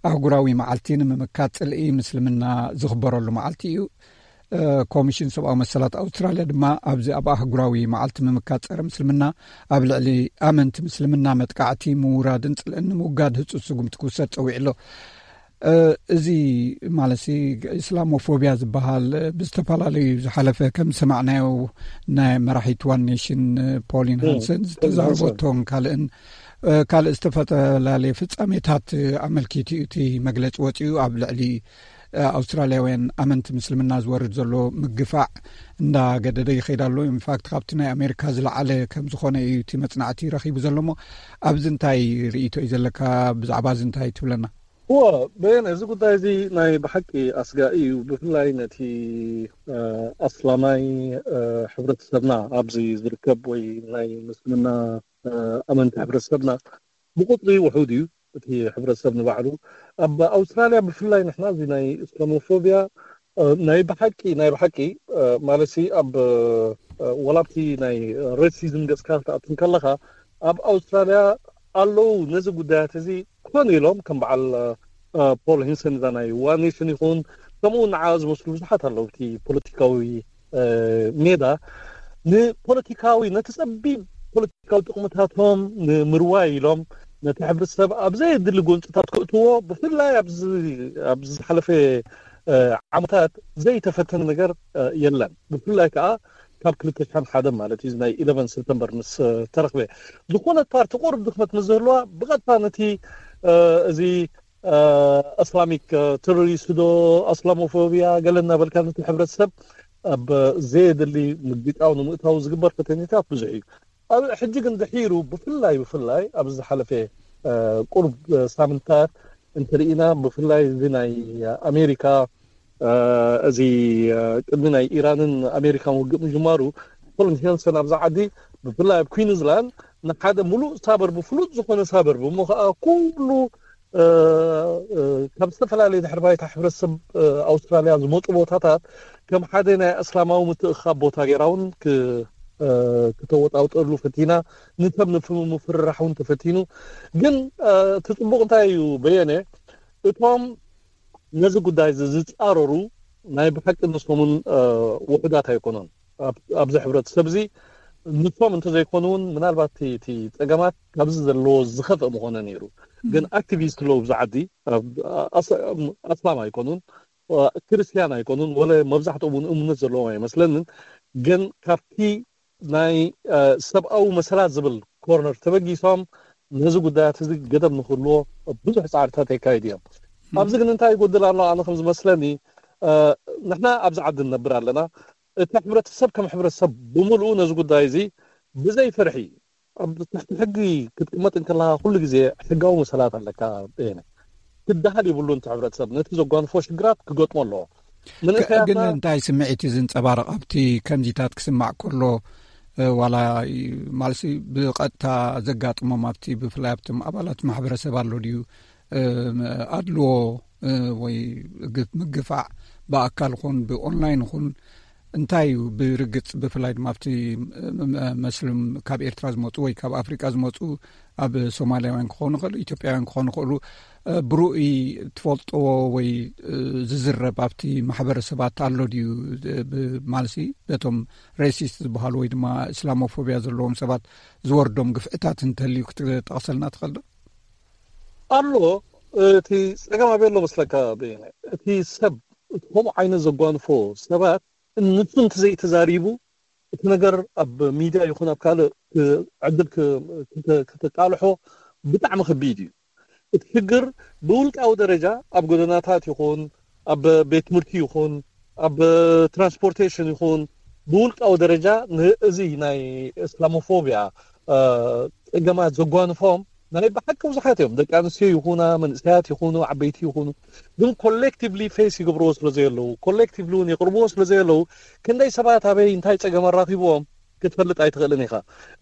ኣህጉራዊ መዓልቲ ንምምካት ጽልኢ ምስልምና ዝኽበረሉ መዓልቲ እዩ። እ፣ ኮሚሽን ሰብኣዊ መሰላት ኣውስትራልያ ድማ ኣብዚ ኣብ ኣህጉራዊ መዓልቲ ምምካት ጸረ ምስልምና ኣብ ልዕሊ ኣመንቲ ምስልምና መጥቃዕቲ ምውራድን ጽልእን ንምውጋድ ህጹጽ ስጉምቲ ክውሰድ ጸዊዑ ኣሎ። እ፣ እዚ ማለትሲ ኢስላሞፎብያ ዝበሃል ብዝተፈላለዩ ዝሓለፈ ከም ዝሰማዕናዮ ናይ መራሒት ዋን ኔሽን ፖሊን ሃንሰን ዝተዛረበቶን ካልእን፣ እ፣ ካልእ ዝተፈላለየ ፍጻሜታት ኣመልኪቱ እዩ እቲ መግለጺ ወጺኡ። ኣብ ልዕሊ፣ እ፣ ኣውስትራልያውያን ኣመንቲ ምስልምና ዝወርድ ዘሎ ምግፋዕ እንዳገደደ ይኸይድ ኣሎ። ኢንፋክት ካብቲ ናይ ኣሜሪካ ዝለዓለ ከም ዝኾነ እዩ እቲ መጽናዕቲ ረኺቡ ዘሎ። እሞ ኣብዚ እንታይ ርእይቶ እዩ ዘለካ? ብዛዕባ እዚ እንታይ ትብለና? እዎ፣ በየነ፣ እዚ ጉዳይ እዚ ናይ ብሓቂ ኣስጋኢ እዩ። ብፍላይ ነቲ፣ እ፣ ኣስላማይ፣ እ፣ ሕብረተሰብና ኣብዚ ዝርከብ ወይ ናይ ምስልምና፣ እ፣ ኣመንቲ ሕብረተሰብና ብቁጽሪ ውሑድ እዩ እቲ ሕብረተሰብ ንባዕሉ። ኣብ ኣውስትራልያ ብፍላይ ንሕና እዚ ናይ እስላሞፎብያ፣ እ፣ ናይ ብሓቂ፣ ናይ ብሓቂ፣ እ፣ ማለትሲ ኣብ፣ እ፣ ወላብቲ ናይ ሬሲዝም ገጽካ ክትኣቱ ከለኻ ኣብ ኣውስትራልያ ኣለዉ ነዚ ጉዳያት እዚ ኮን ኢሎም ከም በዓል፣ እ፣ ፖል ሂንሰን እዛ ናይ ዋን ኔሽን ይኹን ከምኡ ንዓ ዝመስሉ ብዙሓት ኣለዉ እቲ ፖለቲካዊ፣ እ፣ ሜዳ ንፖለቲካዊ ነቲ ጸቢብ ፖለቲካዊ ጥቕምታቶም ንምርዋይ ኢሎም ነቲ ሕብረተሰብ ኣብ ዘየድሊ ጎንጽታት ክእትዎ ብፍላይ ኣብዚ፣ ኣብዚ ዝሓለፈ፣ እ፣ ዓመታት ዘይተፈተነ ነገር፣ እ፣ የለን። ብፍላይ ከኣ ካብ ክልተ ሽሕን ሓደ ማለት እዩ፣ እዚ ናይ ኢለቨን ሰፕተምበር ምስ፣ እ፣ ተረኽበ። ዝኾነት ፓርቲ ቁሩብ ድኽመት ምስ ዝህልዋ ብቐጥታ ነቲ፣ እ፣ እዚ፣ እ፣ እስላሚክ፣ እ፣ ቴሮሪስት ዶ፣ እስላሞፎብያ ገለ እናበልካ ነቲ ሕብረተሰብ ኣብ ዘየድሊ ምግጫው ንምእታው ዝግበር ፈተነታት ብዙሕ እዩ። ኣብ ሕጂ ግን ድሒሩ ብፍላይ፣ ብፍላይ ኣብዚ ዝሓለፈ፣ እ፣ ቁሩብ፣ እ፣ ሳምንታት እንተርኢና፣ ብፍላይ እዚ ናይ ኣሜሪካ፣ እ፣ እዚ፣ እ፣ ቅድሚ ናይ ኢራንን ኣሜሪካን ውግእ ምጅማሩ፣ ኮሎን ሄንሰን ኣብዚ ዓዲ፣ ብፍላይ ኣብ ኩዊንስላንድ፣ ንሓደ ሙሉእ ሳበርብ፣ ፍሉጥ ዝኾነ ሳበርብ፣ እሞ ከዓ ኩሉ፣ እ፣ እ፣ ካብ ዝተፈላለየ ድሕሪ ባይታ ሕብረተሰብ፣ እ፣ ኣውስትራልያ ዝመፁ ቦታታት ከም ሓደ ናይ እስላማዊ ምትእኻብ ቦታ ገይራ እውን ክ-፣ እ፣ ክተወጣውጠሉ ፈቲና፣ ንሰብ ንምፍርራሕ እውን ተፈቲኑ። ግን፣ እ፣ እቲ ፅቡቕ እንታይ እዩ በየነ፣ እቶም ነዚ ጉዳይ እዚ ዝፃረሩ ናይ ብሓቂ ንሶምን፣ እ፣ ውሑዳት ኣይኮኑን። ኣብ-፣ ኣብዚ ሕብረተሰብ እዚ ንሶም እንተዘይኮኑ እውን ምናልባት እቲ፣ እቲ ፀገማት ካብዚ ዘለዎ ዝኸፍአ ምኾነ ነይሩ። ግን ኣክቲቪስት ኣለዉ ኣብዚ ዓዲ፣ ኣብ-፣ ኣስ-፣ ኣስላም ኣይኮኑን፣ እ፣ ክርስትያን ኣይኮኑን፣ ወለ መብዛሕትኦም እውን እምነት ዘለዎም ኣይመስለንን። ግን ካብቲ ናይ፣ እ፣ ሰብኣዊ መሰላት ዝብል ኮርነር ተበጊሶም ነዚ ጉዳያት እዚ ገደብ ንክህልዎ ብዙሕ ፃዕርታት የካይዱ እዮም። ኣብዚ ግን እንታይ ይጎድል ኣሎ? ኣነ ከም ዝመስለኒ፣ እ፣ ንሕና ኣብዚ ዓዲ ንነብር ኣለና። እቲ ሕብረተሰብ ከም ሕብረተሰብ ብምልኡ ነዚ ጉዳይ እዚ ብዘይ ፍርሒ ኣብ ትሕቲ ሕጊ ክትቅመጥ እንከለካ ኩሉ ግዜ ሕጋዊ መሰላት ኣለካ። በየነ፣ ክደሃል የብሉን። እቲ ሕብረተሰብ ነቲ ዘጓንፎ ሽግራት ክገጥሞ ኣለዎ። ግን መንእሰያትና እንታይ ስምዒት እዩ ዝንጸባረቕ ኣብቲ ከምዚታት ክስማዕ ከሎ? እ፣ ዋላ ይ-፣ ማለትሲ ብቐጥታ ዘጋጥሞም ኣብቲ ብፍላይ ኣብቶም ኣባላት ማሕበረሰብ ኣሎ ድዩ? እ፣ ኣድልዎ፣ እ፣ ወይ ግፍ-፣ ምግፋዕ ብኣካል ኹን ብኦንላይን ኹን እንታይ እዩ ብርግጽ፣ ብፍላይ ድማ ኣብቲ ም-፣ ም-፣ መስልም ካብ ኤርትራ ዝመጹ ወይ ካብ ኣፍሪቃ ዝመጹ ኣብ ሶማልያውያን ክኾኑ ይኽእሉ፣ ኢትዮጵያውያን ክኾኑ ይኽእሉ፣ እ፣ ብርኡይ ትፈልጥዎ ወይ፣ እ፣ ዝዝረብ ኣብቲ ማሕበረሰባት ኣሎ ድዩ? እ፣ ብ-፣ ማለትሲ በቶም ሬሲስት ዝበሃሉ ወይ ድማ እስላሞፎብያ ዘለዎም ሰባት ዝወርዶም ግፍዕታት እንተልዩ ክትጠቕሰልና ትኽእል ዶ? ኣሎ። እቲ ጸገም ኣበይ ኣሎ መስለካ በየነ? እቲ ሰብ፣ እቲ ከምኡ ዓይነት ዘጓንፎ ሰባት፣ ንሱ እንተዘይተዛሪቡ፣ እቲ ነገር ኣብ ሚድያ ይኹን ኣብ ካልእ ክ-፣ ዕድል ክ-፣ ክተ-፣ ክተቃልሖ ብጣዕሚ ከቢድ እዩ። እቲ ሽግር ብውልቃዊ ደረጃ ኣብ ጎደናታት ይኹን፣ ኣብ ቤት ትምህርቲ ይኹን፣ ኣብ ትራንስፖርቴሽን ይኹን፣ ብውልቃዊ ደረጃ ን-፣ እዚ ናይ እስላሞፎብያ፣ እ፣ ጸገማት ዘጓንፎም ናይ ብሓቂ ብዙሓት እዮም። ደቂ ኣንስትዮ ይኹና፣ መንእሰያት ይኹኑ፣ ዓበይቲ ይኹኑ፣ ግን ኮሌክቲቭሊ ፌስ ይገብርዎ ስለ ዘየለዉ፣ ኮሌክቲቭሊ እውን የቕርብዎ ስለ ዘየለዉ፣ ክንደይ ሰባት ኣበይ እንታይ ጸገም ኣራኺብዎም ክትፈልጥ ኣይትኽእልን ኢኻ።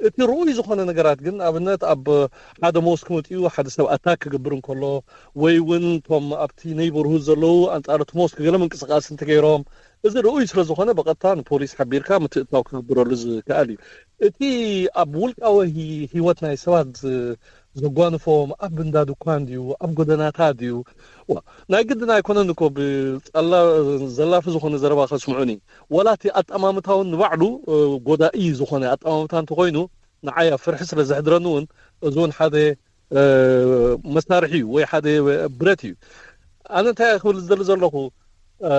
እቲ ርኡይ ዝኾነ ነገራት ግን፣ ኣብነት ኣብ ሓደ ሞስክ መጺኡ ሓደ ሰብ ኣታክ ክገብር እንከሎ፣ ወይ እውን እቶም ኣብቲ ኔይቦርሁድ ዘለዉ ኣንጻር እቲ ሞስክ ገለ ምንቅስቓስ እንተገይሮም፣ እዚ ርኡይ ስለ ዝኾነ ብቐጥታ ንፖሊስ ሓቢርካ ምትእትታው ክግብረሉ ዝከኣል እዩ። እቲ ኣብ ውልቃዊ ሂ-፣ ህይወት ናይ ሰባት ዝ-፣ ዘጓንፎም ኣብ እንዳ ድኳን ድዩ፣ ኣብ ጎደናታት ድዩ? ዋ፣ ናይ ግድን ኣይኮነን እኮ ብጸላ-፣ ዘላፊ ዝኾነ ዘረባ ከስምዑኒ። ወላ እቲ ኣጠማምታውን ንባዕሉ፣ እ፣ ጎዳኢ ዝኾነ ኣጠማምታ እንተኾይኑ፣ ንዓይ ኣብ ፍርሒ ስለ ዘሕድረኒ እውን፣ እዚ እውን ሓደ፣ እ፣ መሳርሒ እዩ ወይ ሓደ ብረት እዩ። ኣነ እንታይ ክብል ዝደሊ ዘለኹ፣ እ፣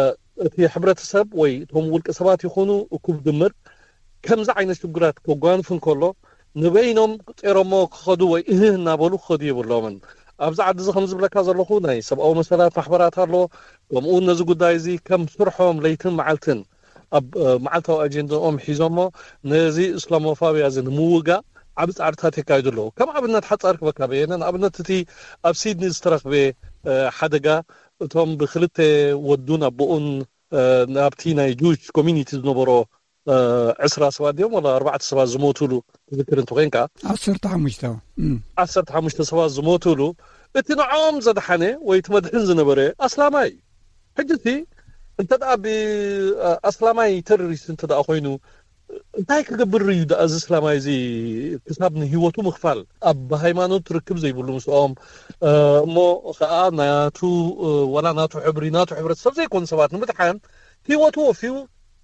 እቲ ሕብረተሰብ ወይ እቶም ውልቀ ሰባት ይኹኑ እኩብ ድምር፣ ከምዚ ዓይነት ሽግራት ከጓንፍ እንከሎ፣ ንበይኖም ጼሮሞ ክኸዱ ወይ እህህ እናበሉ ክኸዱ የብሎምን። ኣብዚ ዓዲ እዚ ከም ዝብለካ ዘለኹ፣ ናይ ሰብኣዊ መሰላት ማሕበራት ኣሎ። ከምኡ እውን ነዚ ጉዳይ እዚ ከም ስርሖም ለይትን መዓልትን ኣብ፣ እ፣ መዓልታዊ ኣጀንዳኦም ሒዞሞ ነዚ እስላሞፋብያ እዚ ንምውጋእ ዓቢ ጻዕርታት የካይዱ ኣለዉ። ከም ኣብነት ሓጻር ክበካ በየነ፣ ንኣብነት እቲ ኣብ ሲድኒ ዝተረኽበ፣ እ፣ ሓደጋ፣ እቶም ብክልተ ወዱን ኣቦኡን፣ እ፣ ናብቲ ናይ ጁዊሽ ኮሚኒቲ ዝነበሮ፣ እ፣ ዕስራ ሰባት ድዮም ወላ ኣርባዕተ ሰባት ዝሞቱሉ ትዝክር እንተኾይንካ፣ ዓሰርተ ሓሙሽተ። እም። ዓሰርተ ሓሙሽተ ሰባት ዝሞቱሉ፣ እቲ ንዕኦም ዘድሓነ ወይ እቲ መድሕን ዝነበረ ኣስላማይ እዩ። ሕጂ እቲ እንተ ደኣ ብ-፣ ኣስላማይ ተሮሪስት እንተ ደኣ ኮይኑ፣ እንታይ ክገብር እዩ ደኣ እዚ እስላማይ እዚ ክሳብ ንህይወቱ ምኽፋል? ኣብ ሃይማኖት ርክብ ዘይብሉ ምስኦም፣ እ፣ እሞ ኸኣ ናቱ፣ እ፣ ዋላ ናቱ ሕብሪ፣ ናቱ ሕብረተሰብ ዘይኮኑ ሰባት ንምድሓን ህይወቱ ወፊዩ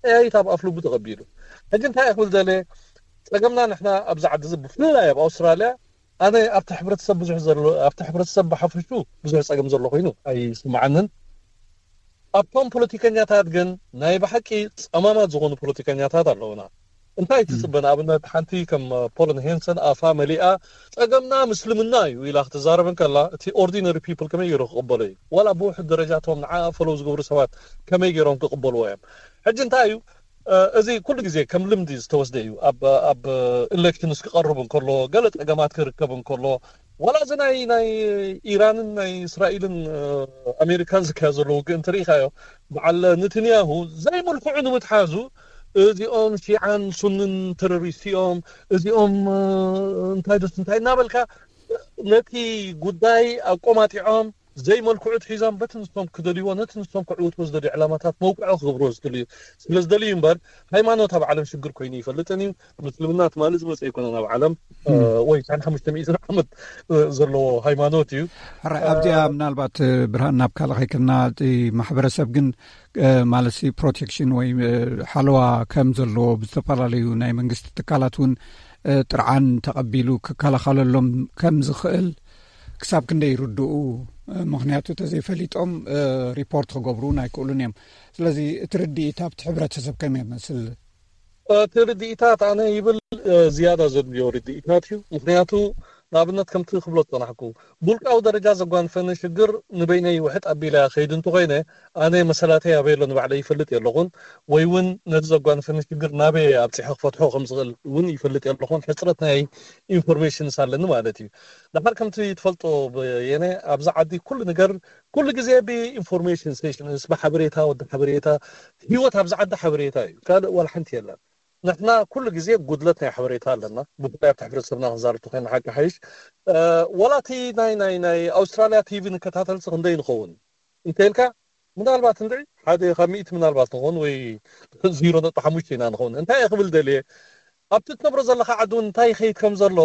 ጠያይት ኣብ ኣፍልቡ ተቐቢሉ። ሕጂ እንታይ ክብል ደለ? ጸገምና ንሕና ኣብዚ ዓዲ እዚ ብፍላይ ኣብ ኣውስትራልያ፣ ኣነ ኣብቲ ሕብረተሰብ ብዙሕ ዘሎ፣ ኣብቲ ሕብረተሰብ ብሓፈሹ ብዙሕ ጸገም ዘሎ ኮይኑ ኣይስምዓንን። ኣብቶም ፖለቲከኛታት ግን ናይ ብሓቂ ጸማማት ዝኾኑ ፖለቲከኛታት ኣለዉና። እንታይ እም። ትጽበ? ንኣብነት ሓንቲ ከም ፖለን ሄንሰን ኣፋ መሊኣ ጸገምና ምስልምና እዩ ኢላ ክትዛረብ እንከላ፣ እቲ ኦርዲነሪ ፒፕል ከመይ ገይሩ ክቕበሎ እዩ? ዋላ ብውሑድ ደረጃ እቶም ንዓ ፈለው ዝገብሩ ሰባት ከመይ ገይሮም ክቕበልዎ እዮም? ሕጂ እንታይ እዩ? እ፣ እዚ ኩሉ ግዜ ከም ልምዲ ዝተወስደ እዩ። ኣብ፣ ኣብ ኢሌክሽንስ ክቐርብ እንከሎ፣ ገለ ጸገማት ክርከብ እንከሎ፣ ዋላ እዚ ናይ ናይ ኢራንን ናይ እስራኤልን ኣሜሪካን ዝካየድ ዘሎ ውግእ እንተሪኢኻዮ፣ በዓል ንትንያሁ ዘይምልክዑ ንምትሓዙ፣ እዚኦም ሺዓን ሱንን ተሮሪስት እዮም፣ እዚኦም እንታይ ደስ እንታይ እናበልካ ነቲ ጉዳይ ኣቆማጢዖም ዘይመልክዑ ትሒዞም በቲ ንሶም ክደልይዎ፣ ነቲ ንሶም ክዕውትዎ ዝደልዩ ዕላማታት መውቅዖ ክገብርዎ ዝደልዩ ስለ ዝደልዩ እምበር፣ ሃይማኖት ኣብ ዓለም ሽግር ኮይኑ ይፈልጥን እዩ። ምስልምና ትማሊ ዝመፀ ኣይኮነን ኣብ ዓለም። ወይ ሻን ሓሙሽተ ሚእትን ዓመት ዘለዎ ሃይማኖት እዩ። ሕራይ ኣብዚኣ ምናልባት ብርሃን ናብ ካልእ ከይከድና፣ እቲ ማሕበረሰብ ግን ማለት ፕሮቴክሽን ወይ ሓለዋ ከም ዘለዎ ብዝተፈላለዩ ናይ መንግስቲ ትካላት እውን ጥርዓን ተቐቢሉ ክከላኸለሎም ከም ዝኽእል ክሳብ ክንደይ ይርድኡ? ምክንያቱ ተዘይፈሊጦም ሪፖርት ክገብሩ ኣይክእሉን እዮም። ስለዚ እቲ ርድኢት ኣብቲ ሕብረተሰብ ከመይ ይመስል? እቲ ርድኢታት ኣነ ይብል ዝያዳ ዘድልዮ ርድኢታት እዩ። ምክንያቱ ንኣብነት ከምቲ ክብሎ ዝፀናሕኩ፣ ብውልቃዊ ደረጃ ዘጓንፈኒ ሽግር ንበይነይ ውሕጥ ኣቢለ ከይድ እንተኮይነ፣ ኣነ መሰላተይ ኣበይ ኣሎ ንባዕለይ ይፈልጥ የለኹን፣ ወይ እውን ነዚ ዘጓንፈኒ ሽግር ናበይ ኣብፂሑ ክፈትሖ ከም ዝኽእል እውን ይፈልጥ የለኹን። ሕፅረት ናይ ኢንፎርሜሽንስ ኣለኒ ማለት እዩ። ደሓር ከምቲ ትፈልጦ በየነ፣ ኣብዚ ዓዲ ኩሉ ነገር ኩሉ ግዜ ብኢንፎርሜሽን ሴሽንስ፣ ብሓበሬታ፣ ወዲ ሓበሬታ፣ ህይወት ኣብዚ ዓዲ ሓበሬታ እዩ። ካልእ ዋላ ሓንቲ የለን። ንሕና ኩሉ ግዜ ጉድለት ናይ ሓበሬታ ኣለና፣ ብፍላይ ኣብቲ ሕብረተሰብና ክንዛረብ ተኮይና ሓቂ ሓይሽ። ወላ እቲ ናይ ናይ ናይ ኣውስትራልያ ቲቪ ንከታተልሲ ክንደይ ንኸውን እንተኢልካ፣ ምናልባት እንድዒ ሓደ ካብ ሚእቲ ምናልባት ንኸውን ወይ ዜሮ ነጥቢ ሓሙሽተ ኢና ንኸውን። እንታይ እየ ክብል ደልየ፣ ኣብቲ ትነብሮ ዘለካ ዓዲ እውን እንታይ ይኸይድ ከም ዘሎ፣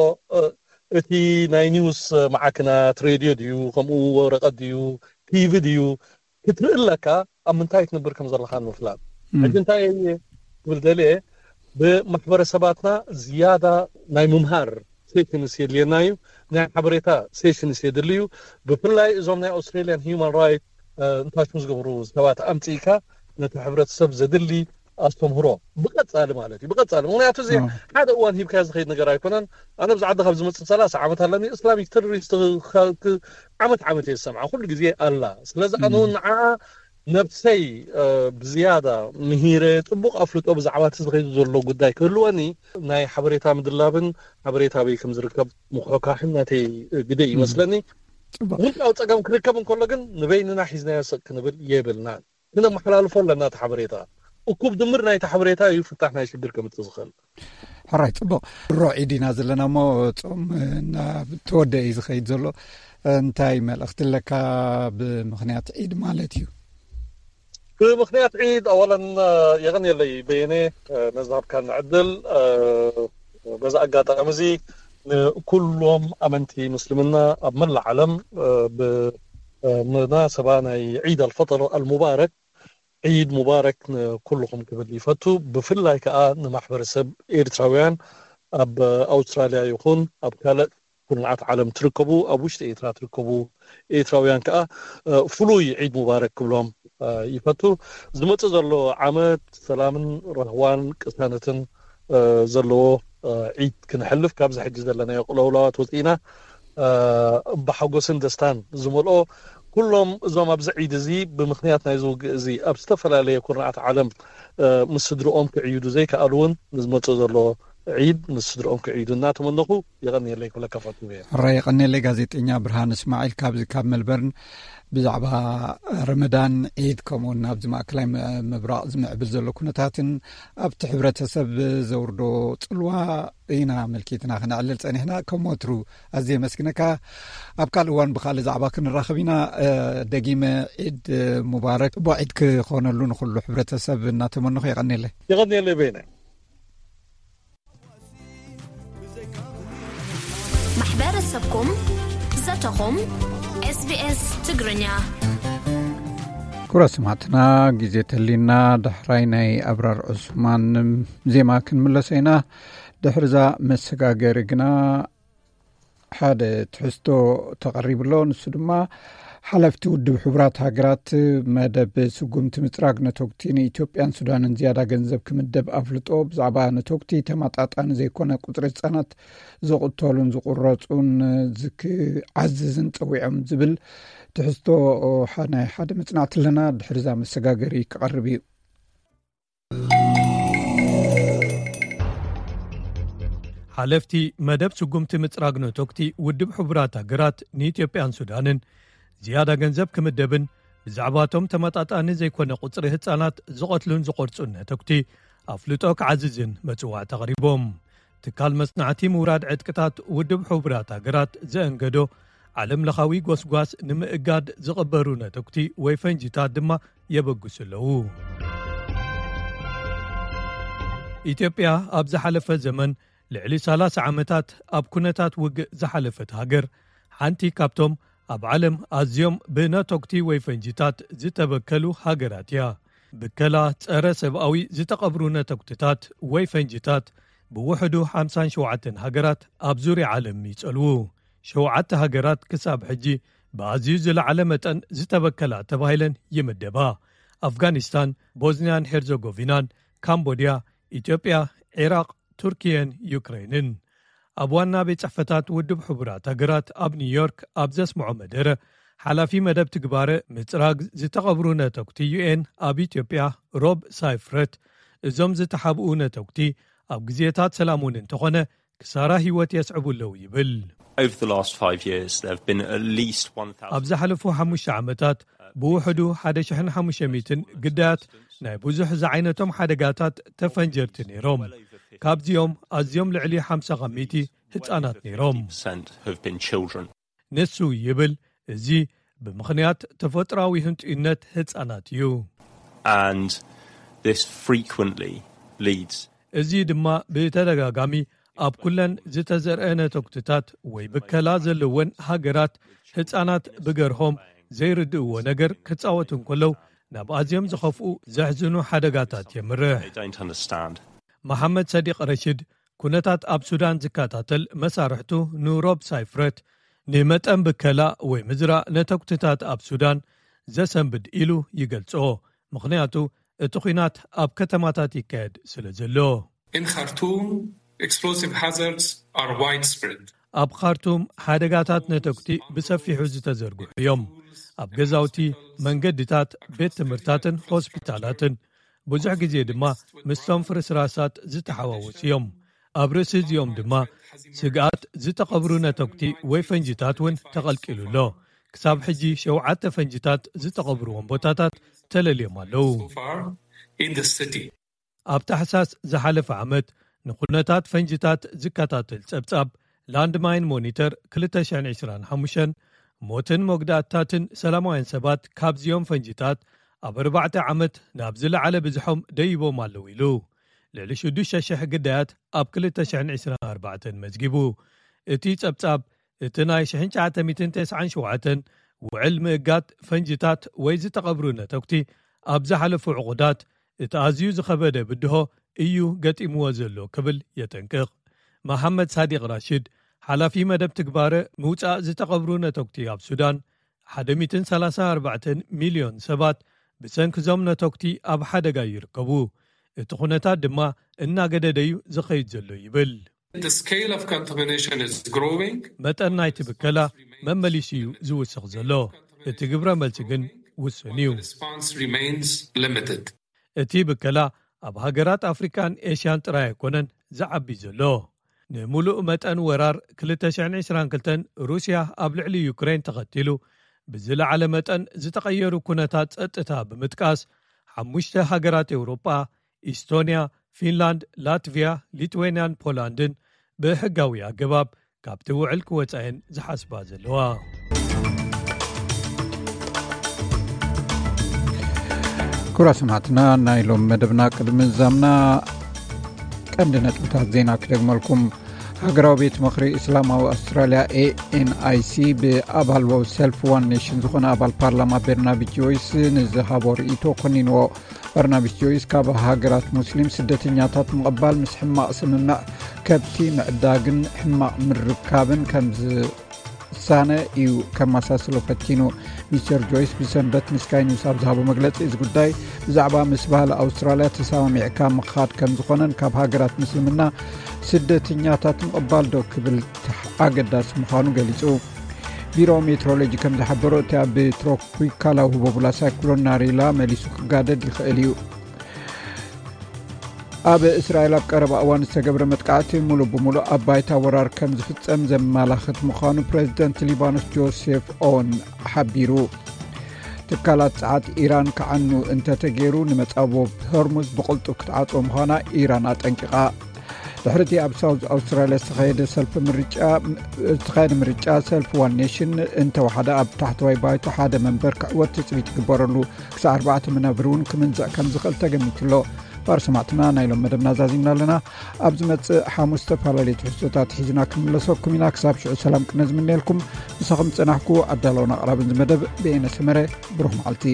እቲ ናይ ኒውስ ማዕክናት ሬድዮ ድዩ፣ ከምኡ ወረቐት ድዩ፣ ቲቪ ድዩ ክትርኢ ኣለካ፣ ኣብ ምንታይ ትነብር ከም ዘለካ ንምፍላጥ። ሕጂ እንታይ እየ ክብል ደልየ፣ ብማሕበረሰባትና ዝያዳ ናይ ምምሃር ሴሽንስ የድልየና እዩ፣ ናይ ሓበሬታ ሴሽንስ የድሊ እዩ። ብፍላይ እዞም ናይ ኣውስትራሊያን ሂማን ራይት እንታሽሙ ዝገብሩ ሰባት ኣምፅእካ ነቲ ሕብረተሰብ ዘድሊ ኣስተምህሮ ብቐፃሊ ማለት እዩ፣ ብቐፃሊ። ምክንያቱ እዚ ሓደ እዋን ሂብካ ዝኸይድ ነገር ኣይኮነን። ኣነ ብዛ ዓዲ ካብ ዝመፅእ ሰላሳ ዓመት ኣለኒ። እስላሚክ ተሮሪስት ዓመት ዓመት እየ ዝሰምዓ፣ ኩሉ ግዜ ኣላ። ስለዚ ኣነ እውን ንዓ ነብሰይ ብዝያዳ ምሂረ ፅቡቅ ኣፍልጦ ብዛዕባ እቲ ዝኸይዱ ዘሎ ጉዳይ ክህልወኒ ናይ ሓበሬታ ምድላብን ሓበሬታ ኣበይ ከም ዝርከብ ምኩሕኳሕን ናተይ ግደ ይመስለኒ። ውልቃዊ ፀገም ክርከብ እንከሎ ግን ንበይንና ሒዝናዮ ሰቅ ክንብል የብልናን። ክነመሓላልፎ ኣለና እቲ ሓበሬታ። እኩብ ድምር ናይቲ ሓበሬታ እዩ ፍታሕ ናይ ሽግር ከምፅእ ዝኽእል። ሕራይ ፅቡቕ። ድሮ ዒድ ኢና ዘለና እሞ ፆም ናብ ተወደ እዩ ዝኸይድ ዘሎ። እንታይ መልእኽቲ ኣለካ ብምኽንያት ዒድ ማለት እዩ? ብምኽንያት ዒድ ኣዋለን የቐንየለይ በየነ ነዚ ሃብካኒ ዕድል። በዚ ኣጋጣሚ እዚ ንኩሎም ኣመንቲ ምስልምና ኣብ መላእ ዓለም ብመናሰባ ናይ ዒድ ኣልፈጥር ኣልሙባረክ ዒድ ሙባረክ ንኩልኹም ክብል ይፈቱ። ብፍላይ ከኣ ንማሕበረሰብ ኤርትራውያን ኣብ ኣውስትራልያ ይኹን ኣብ ካልእ ኩርናዓት ዓለም ትርከቡ፣ ኣብ ውሽጢ ኤርትራ ትርከቡ ኤርትራውያን ከኣ ፍሉይ ዒድ ሙባረክ ክብሎም ይፈቱ። ዝመጽእ ዘሎ ዓመት ሰላምን ራህዋን ቅሳነትን ዘለዎ ዒድ ክነሕልፍ ካብዚ ሕጂ ዘለናዮ ቅለውላዋት ወጺእና ብሓጎስን ደስታን ዝመልኦ ኩሎም እዞም ኣብዚ ዒድ እዚ ብምኽንያት ናይዚ ውግእ እዚ ኣብ ዝተፈላለየ ኩርናዓት ዓለም ምስ ስድርኦም ክዕይዱ ዘይከኣሉ እውን ንዝመጽእ ዘሎ ዒድ ምስ ስድርኦም ክዕይዱ እናተመነኹ የቐንየለይ ክብለካ ፈትው እየ። ሕራይ የቐንየለይ ጋዜጠኛ ብርሃን እስማዒል ካብዚ ካብ መልበርን ብዛዕባ ረመዳን ዒድ ከምኡውን ኣብዚ ማእከላይ ምብራቕ ዝምዕብል ዘሎ ኩነታትን ኣብቲ ሕብረተሰብ ዘውርዶ ጽልዋ ኢና ኣመልኪትና ክነዕልል ጸኒሕና። ከም ወትሩ ኣዝየ የመስግነካ። ኣብ ካልእ እዋን ብኻልእ ዛዕባ ክንራኸብ ኢና። ደጊመ ዒድ ሙባረክ፣ ጽቡቕ ዒድ ክኾነሉ ንኹሉ ሕብረተሰብ እናተመነኹ የቐንየለይ። የቐንየለይ በይነ። ማሕበረሰብኩም ዘተኹም ኤስቢኤስ ትግርኛ። ክቡራት ሰማዕትና፣ ግዜ ተሊና ዳሕራይ ናይ ኣብራር ዑስማን ዜማ ክንምለሶ ኢና። ድሕርዛ መሰጋገሪ ግና ሓደ ትሕዝቶ ተቐሪቡ ኣሎ። ንሱ ድማ ሓለፍቲ ውድብ ሕቡራት ሃገራት መደብ ስጉምቲ ምፅራግ ነተጉቲ ንኢትዮጵያን ሱዳንን ዝያዳ ገንዘብ ክምደብ ኣፍልጦ ብዛዕባ ነተጉቲ ተመጣጣኒ ዘይኮነ ቁፅሪ ህፃናት ዝቕተሉን ዝቑረፁን ክዓዝዝን ፀዊዖም ዝብል ትሕዝቶ ናይ ሓደ መፅናዕቲ ኣለና። ድሕርዛ መሰጋገሪ ክቐርብ እዩ። ሓለፍቲ መደብ ስጉምቲ ምጽራግ ነቶክቲ ውድብ ሕቡራት ሃገራት ንኢትዮጵያን ሱዳንን ዝያዳ ገንዘብ ክምደብን ብዛዕባቶም ተመጣጣኒ ዘይኮነ ቁጽሪ ህጻናት ዝቐትሉን ዝቖርጹን ነቶክቲ ኣፍልጦ ክዓዝዝን መጽዋዕቲ ኣቕሪቦም። ትካል መጽናዕቲ ምውራድ ዕጥቅታት ውድብ ሕቡራት ሃገራት ዘእንገዶ ዓለም ለኻዊ ጎስጓስ ንምእጋድ ዝቕበሩ ነቶክቲ ወይ ፈንጂታት ድማ የበግሱ ኣለዉ። ኢትዮጵያ ኣብ ዝሓለፈ ዘመን ልዕሊ ሰላሳ ዓመታት ኣብ ኩነታት ውግእ ዝሓለፈት ሃገር ሓንቲ ካብቶም ኣብ ዓለም ኣዝዮም ብነቶክቲ ወይ ፈንጂታት ዝተበከሉ ሃገራት እያ። ብከላ ጸረ ሰብኣዊ ዝተቐብሩ ነቶክትታት ወይ ፈንጂታት ብውሕዱ ሓምሳን ሸውዓተን ሃገራት ኣብ ዙርያ ዓለም ይጸልዉ። ሸውዓተ ሃገራት ክሳብ ሕጂ ብኣዝዩ ዝለዓለ መጠን ዝተበከላ ተባሂለን ይምደባ። ኣፍጋኒስታን፣ ቦዝንያን ሄርዘጎቪናን፣ ካምቦድያ፣ ኢትዮጵያ፣ ዒራቕ፣ ቱርኪየን ዩክሬንን። ኣብ ዋና ቤት ጽሕፈታት ውድብ ሕቡራት ሃገራት ኣብ ኒውዮርክ ኣብ ዘስምዖ መደረ፣ ሓላፊ መደብ ትግባረ ምጽራግ ዝተቐብሩ ነቶክቲ ዩ ኤን ኣብ ኢትዮጵያ ሮብ ሳይፍረት፣ እዞም ዝተሓብኡ ነቶክቲ ኣብ ግዜታት ሰላም እውን እንተኾነ ክሳራ ህይወት የስዕቡ ኣለዉ ይብል። Over the last five years, there have been at least one thousand ኣብ ዝሓለፉ ሓሙሽተ ዓመታት ብውሕዱ ሓደ ሽሕን ሓሙሽተ ሚእትን ግዳያት ናይ ብዙሕ ዝዓይነቶም ሓደጋታት ተፈንጀርቲ ነይሮም። ካብዚኦም ኣዝዮም ልዕሊ ሓምሳ ካብ ሚእቲ ህጻናት ነይሮም። Have been children. ንሱ ይብል፣ እዚ ብምኽንያት ተፈጥሮኣዊ ህንጡይነት ህጻናት እዩ። And this frequently leads እዚ ድማ ብተደጋጋሚ ኣብ ኩለን ዝተዘርአ ነቶክትታት ወይ ብከላ ዘለወን ሃገራት ህጻናት ብገርሆም ዘይርድእዎ ነገር ክጻወቱ እንከለዉ ናብ ኣዝዮም ዝኸፍኡ ዘሕዝኑ ሓደጋታት የምርሕ። They don't understand. መሓመድ ሰዲቕ ረሽድ ኩነታት ኣብ ሱዳን ዝከታተል መሳርሕቱ ንሮብ ሳይፍረት ንመጠን ብከላ ወይ ምዝራእ ነተኩትታት ኣብ ሱዳን ዘሰንብድ ኢሉ ይገልጾ። ምኽንያቱ እቲ ኲናት ኣብ ከተማታት ይካየድ ስለ ዘሎ። In Khartoum, explosive hazards are widespread. ኣብ ካርቱም ሓደጋታት ነተኩቲ ብሰፊሑ ዝተዘርግሑ እዮም። ኣብ ገዛውቲ፣ መንገድታት፣ ቤት ትምህርታትን ሆስፒታላትን፣ ብዙሕ ግዜ ድማ ምስቶም ፍርስራሳት ዝተሓዋወሱ እዮም። ኣብ ርእሲ እዚኦም ድማ ስግኣት ዝተቐብሩ ነተኩቲ ወይ ፈንጂታት እውን ተቐልቂሉ ኣሎ። ክሳብ ሕጂ ሸውዓተ ፈንጂታት ዝተቐብሩዎም ቦታታት ተለልዮም ኣለዉ። So far in the city. ኣብ ታሕሳስ ዝሓለፈ ዓመት ንኩነታት ፈንጂታት ዝከታተል ጸብጻብ ላንድማይን ሞኒተር ክልተ ሽሕን ዕስራን ሓሙሽተን ሞትን መጉዳእታትን ሰላማውያን ሰባት ካብዚኦም ፈንጂታት ኣብ ኣርባዕተ ዓመት ናብ ዝለዓለ ብዝሖም ደይቦም ኣለዉ ኢሉ። ልዕሊ ሽዱሽተ ሽሕ ግዳያት ኣብ ክልተ ሽሕን ዕስራን ኣርባዕተን መዝጊቡ። እቲ ጸብጻብ እቲ ናይ ሽሕን ትሽዓተ ሚእትን ተስዓን ሸውዓተን ውዕል ምእጋድ ፈንጂታት ወይ ዝተቐብሩ ነተኩቲ ኣብ ዝሓለፉ ዕቑዳት እቲ ኣዝዩ ዝኸበደ ብድሆ እዩ ገጢምዎ ዘሎ ክብል የጠንቅቕ። መሓመድ ሳዲቕ ራሽድ፣ ሓላፊ መደብ ትግባረ ምውጻእ ዝተቐብሩ ነተኩቲ ኣብ ሱዳን፣ ሓደ ሚእትን ሰላሳን ኣርባዕተን ሚልዮን ሰባት ብሰንኪ እዞም ነተኩቲ ኣብ ሓደጋ ይርከቡ። እቲ ኩነታት ድማ እናገደደ እዩ ዝኸይድ ዘሎ ይብል። The scale of contamination is growing. መጠን ናይቲ ብከላ መመሊሱ እዩ ዝውስኽ ዘሎ። እቲ ግብረ መልሲ ግን ውሱን እዩ። The response remains limited. እቲ ብከላ ኣብ ሃገራት ኣፍሪካን ኤሽያን ጥራይ ኣይኮነን ዝዓቢ ዘሎ። ንምሉእ መጠን ወራር ክልተ ሽሕን ዕስራን ክልተን ሩስያ ኣብ ልዕሊ ዩክሬን ተኸቲሉ ብዝለዓለ መጠን ዝተቐየሩ ኩነታት ጸጥታ ብምጥቃስ፣ ሓሙሽተ ሃገራት ኤውሮጳ፣ ኢስቶንያ፣ ፊንላንድ፣ ላትቪያ፣ ሊትዌንያን ፖላንድን ብሕጋዊ ኣገባብ ካብቲ ውዕል ክወጻ እየን ዝሓስባ ዘለዋ። ክቡራት ሰማዕትና፣ ናይ ሎም መደብና ቅድሚ ዛምና ቀንዲ ነጥብታት ዜና ክደግመልኩም። ሃገራዊ ቤት ምኽሪ እስላማዊ ኣውስትራልያ፣ ኤ ኤን ኣይ ሲ፣ ብኣባል ሰልፊ ዋን ኔሽን ዝኾነ ኣባል ፓርላማ በርናቢ ጆይስ ንዝሃቦ ርእይቶ ኮኒንዎ። በርናቢ ጆይስ ካብ ሃገራት ሙስሊም ስደተኛታት ምቕባል ምስ ሕማቕ ስምምዕ ከብቲ ምዕዳግን ሕማቕ ምርካብን ከም ዝሳነ እዩ ከመሳስሎ ፈቲኑ። ሚስተር ጆይስ ብሰንበት ንስካይ ኒውስ ኣብ ዝሃቦ መግለጺ፣ እዚ ጉዳይ ብዛዕባ ምስ ባህሊ ኣውስትራልያ ተሰማሚዕካ ምኻድ ከም ዝኾነን ካብ ሃገራት ምስልምና ስደተኛታት ምቕባል ዶ ክብል ኣገዳሲ ምዃኑ ገሊጹ። ቢሮ ሜትሮሎጂ ከም ዝሓበሮ፣ እቲ ኣብ ትሮፒካላዊ ህቦቡላ ሳይክሎን ናሪላ መሊሱ ክጋደድ ይኽእል እዩ። ኣብ እስራኤል ኣብ ቀረባ እዋን ዝተገብረ መጥቃዕቲ ሙሉእ ብሙሉእ ኣብ ባይታ ወራር ከም ዝፍጸም ዘመላኽት ምዃኑ ፕሬዚደንት ሊባኖስ ጆሴፍ ኦን ሓቢሩ። ትካላት ጸዓት ኢራን ክዓኑ እንተተገይሩ፣ ንመጻብቦ ሆርሙዝ ብቕልጡፍ ክትዓጽዎ ምዃና ኢራን ኣጠንቂቓ። ድሕሪቲ ኣብ ሳውዝ ኣውስትራልያ ዝተኻየደ ሰልፊ ምርጫ ዝተኻየደ ምርጫ፣ ሰልፊ ዋን ኔሽን እንተወሓደ ኣብ ታሕተዋይ ባይቶ ሓደ መንበር ክዕወት ትጽቢት ይግበረሉ። ክሳዕ ኣርባዕተ መናብር እውን ክምንዝዕ ከም ዝኽእል ተገሚቱ ኣሎ። ባር ሰማዕትና፣ ናይ ሎም መደብና ዛዚምና ኣለና። ኣብ ዝመጽእ ሓሙስ ዝተፈላለዩ ትሕዝቶታት ሒዝና ክንምለሰኩም ኢና። ክሳብ ሽዑ ሰላም ቅነ ዝምነየልኩም፣ ምሳኹም ዝጸናሕኩ ኣዳለውን ኣቕራብን ዝመደብ ብኤነ ሰመረ። ብሩኽ መዓልቲ።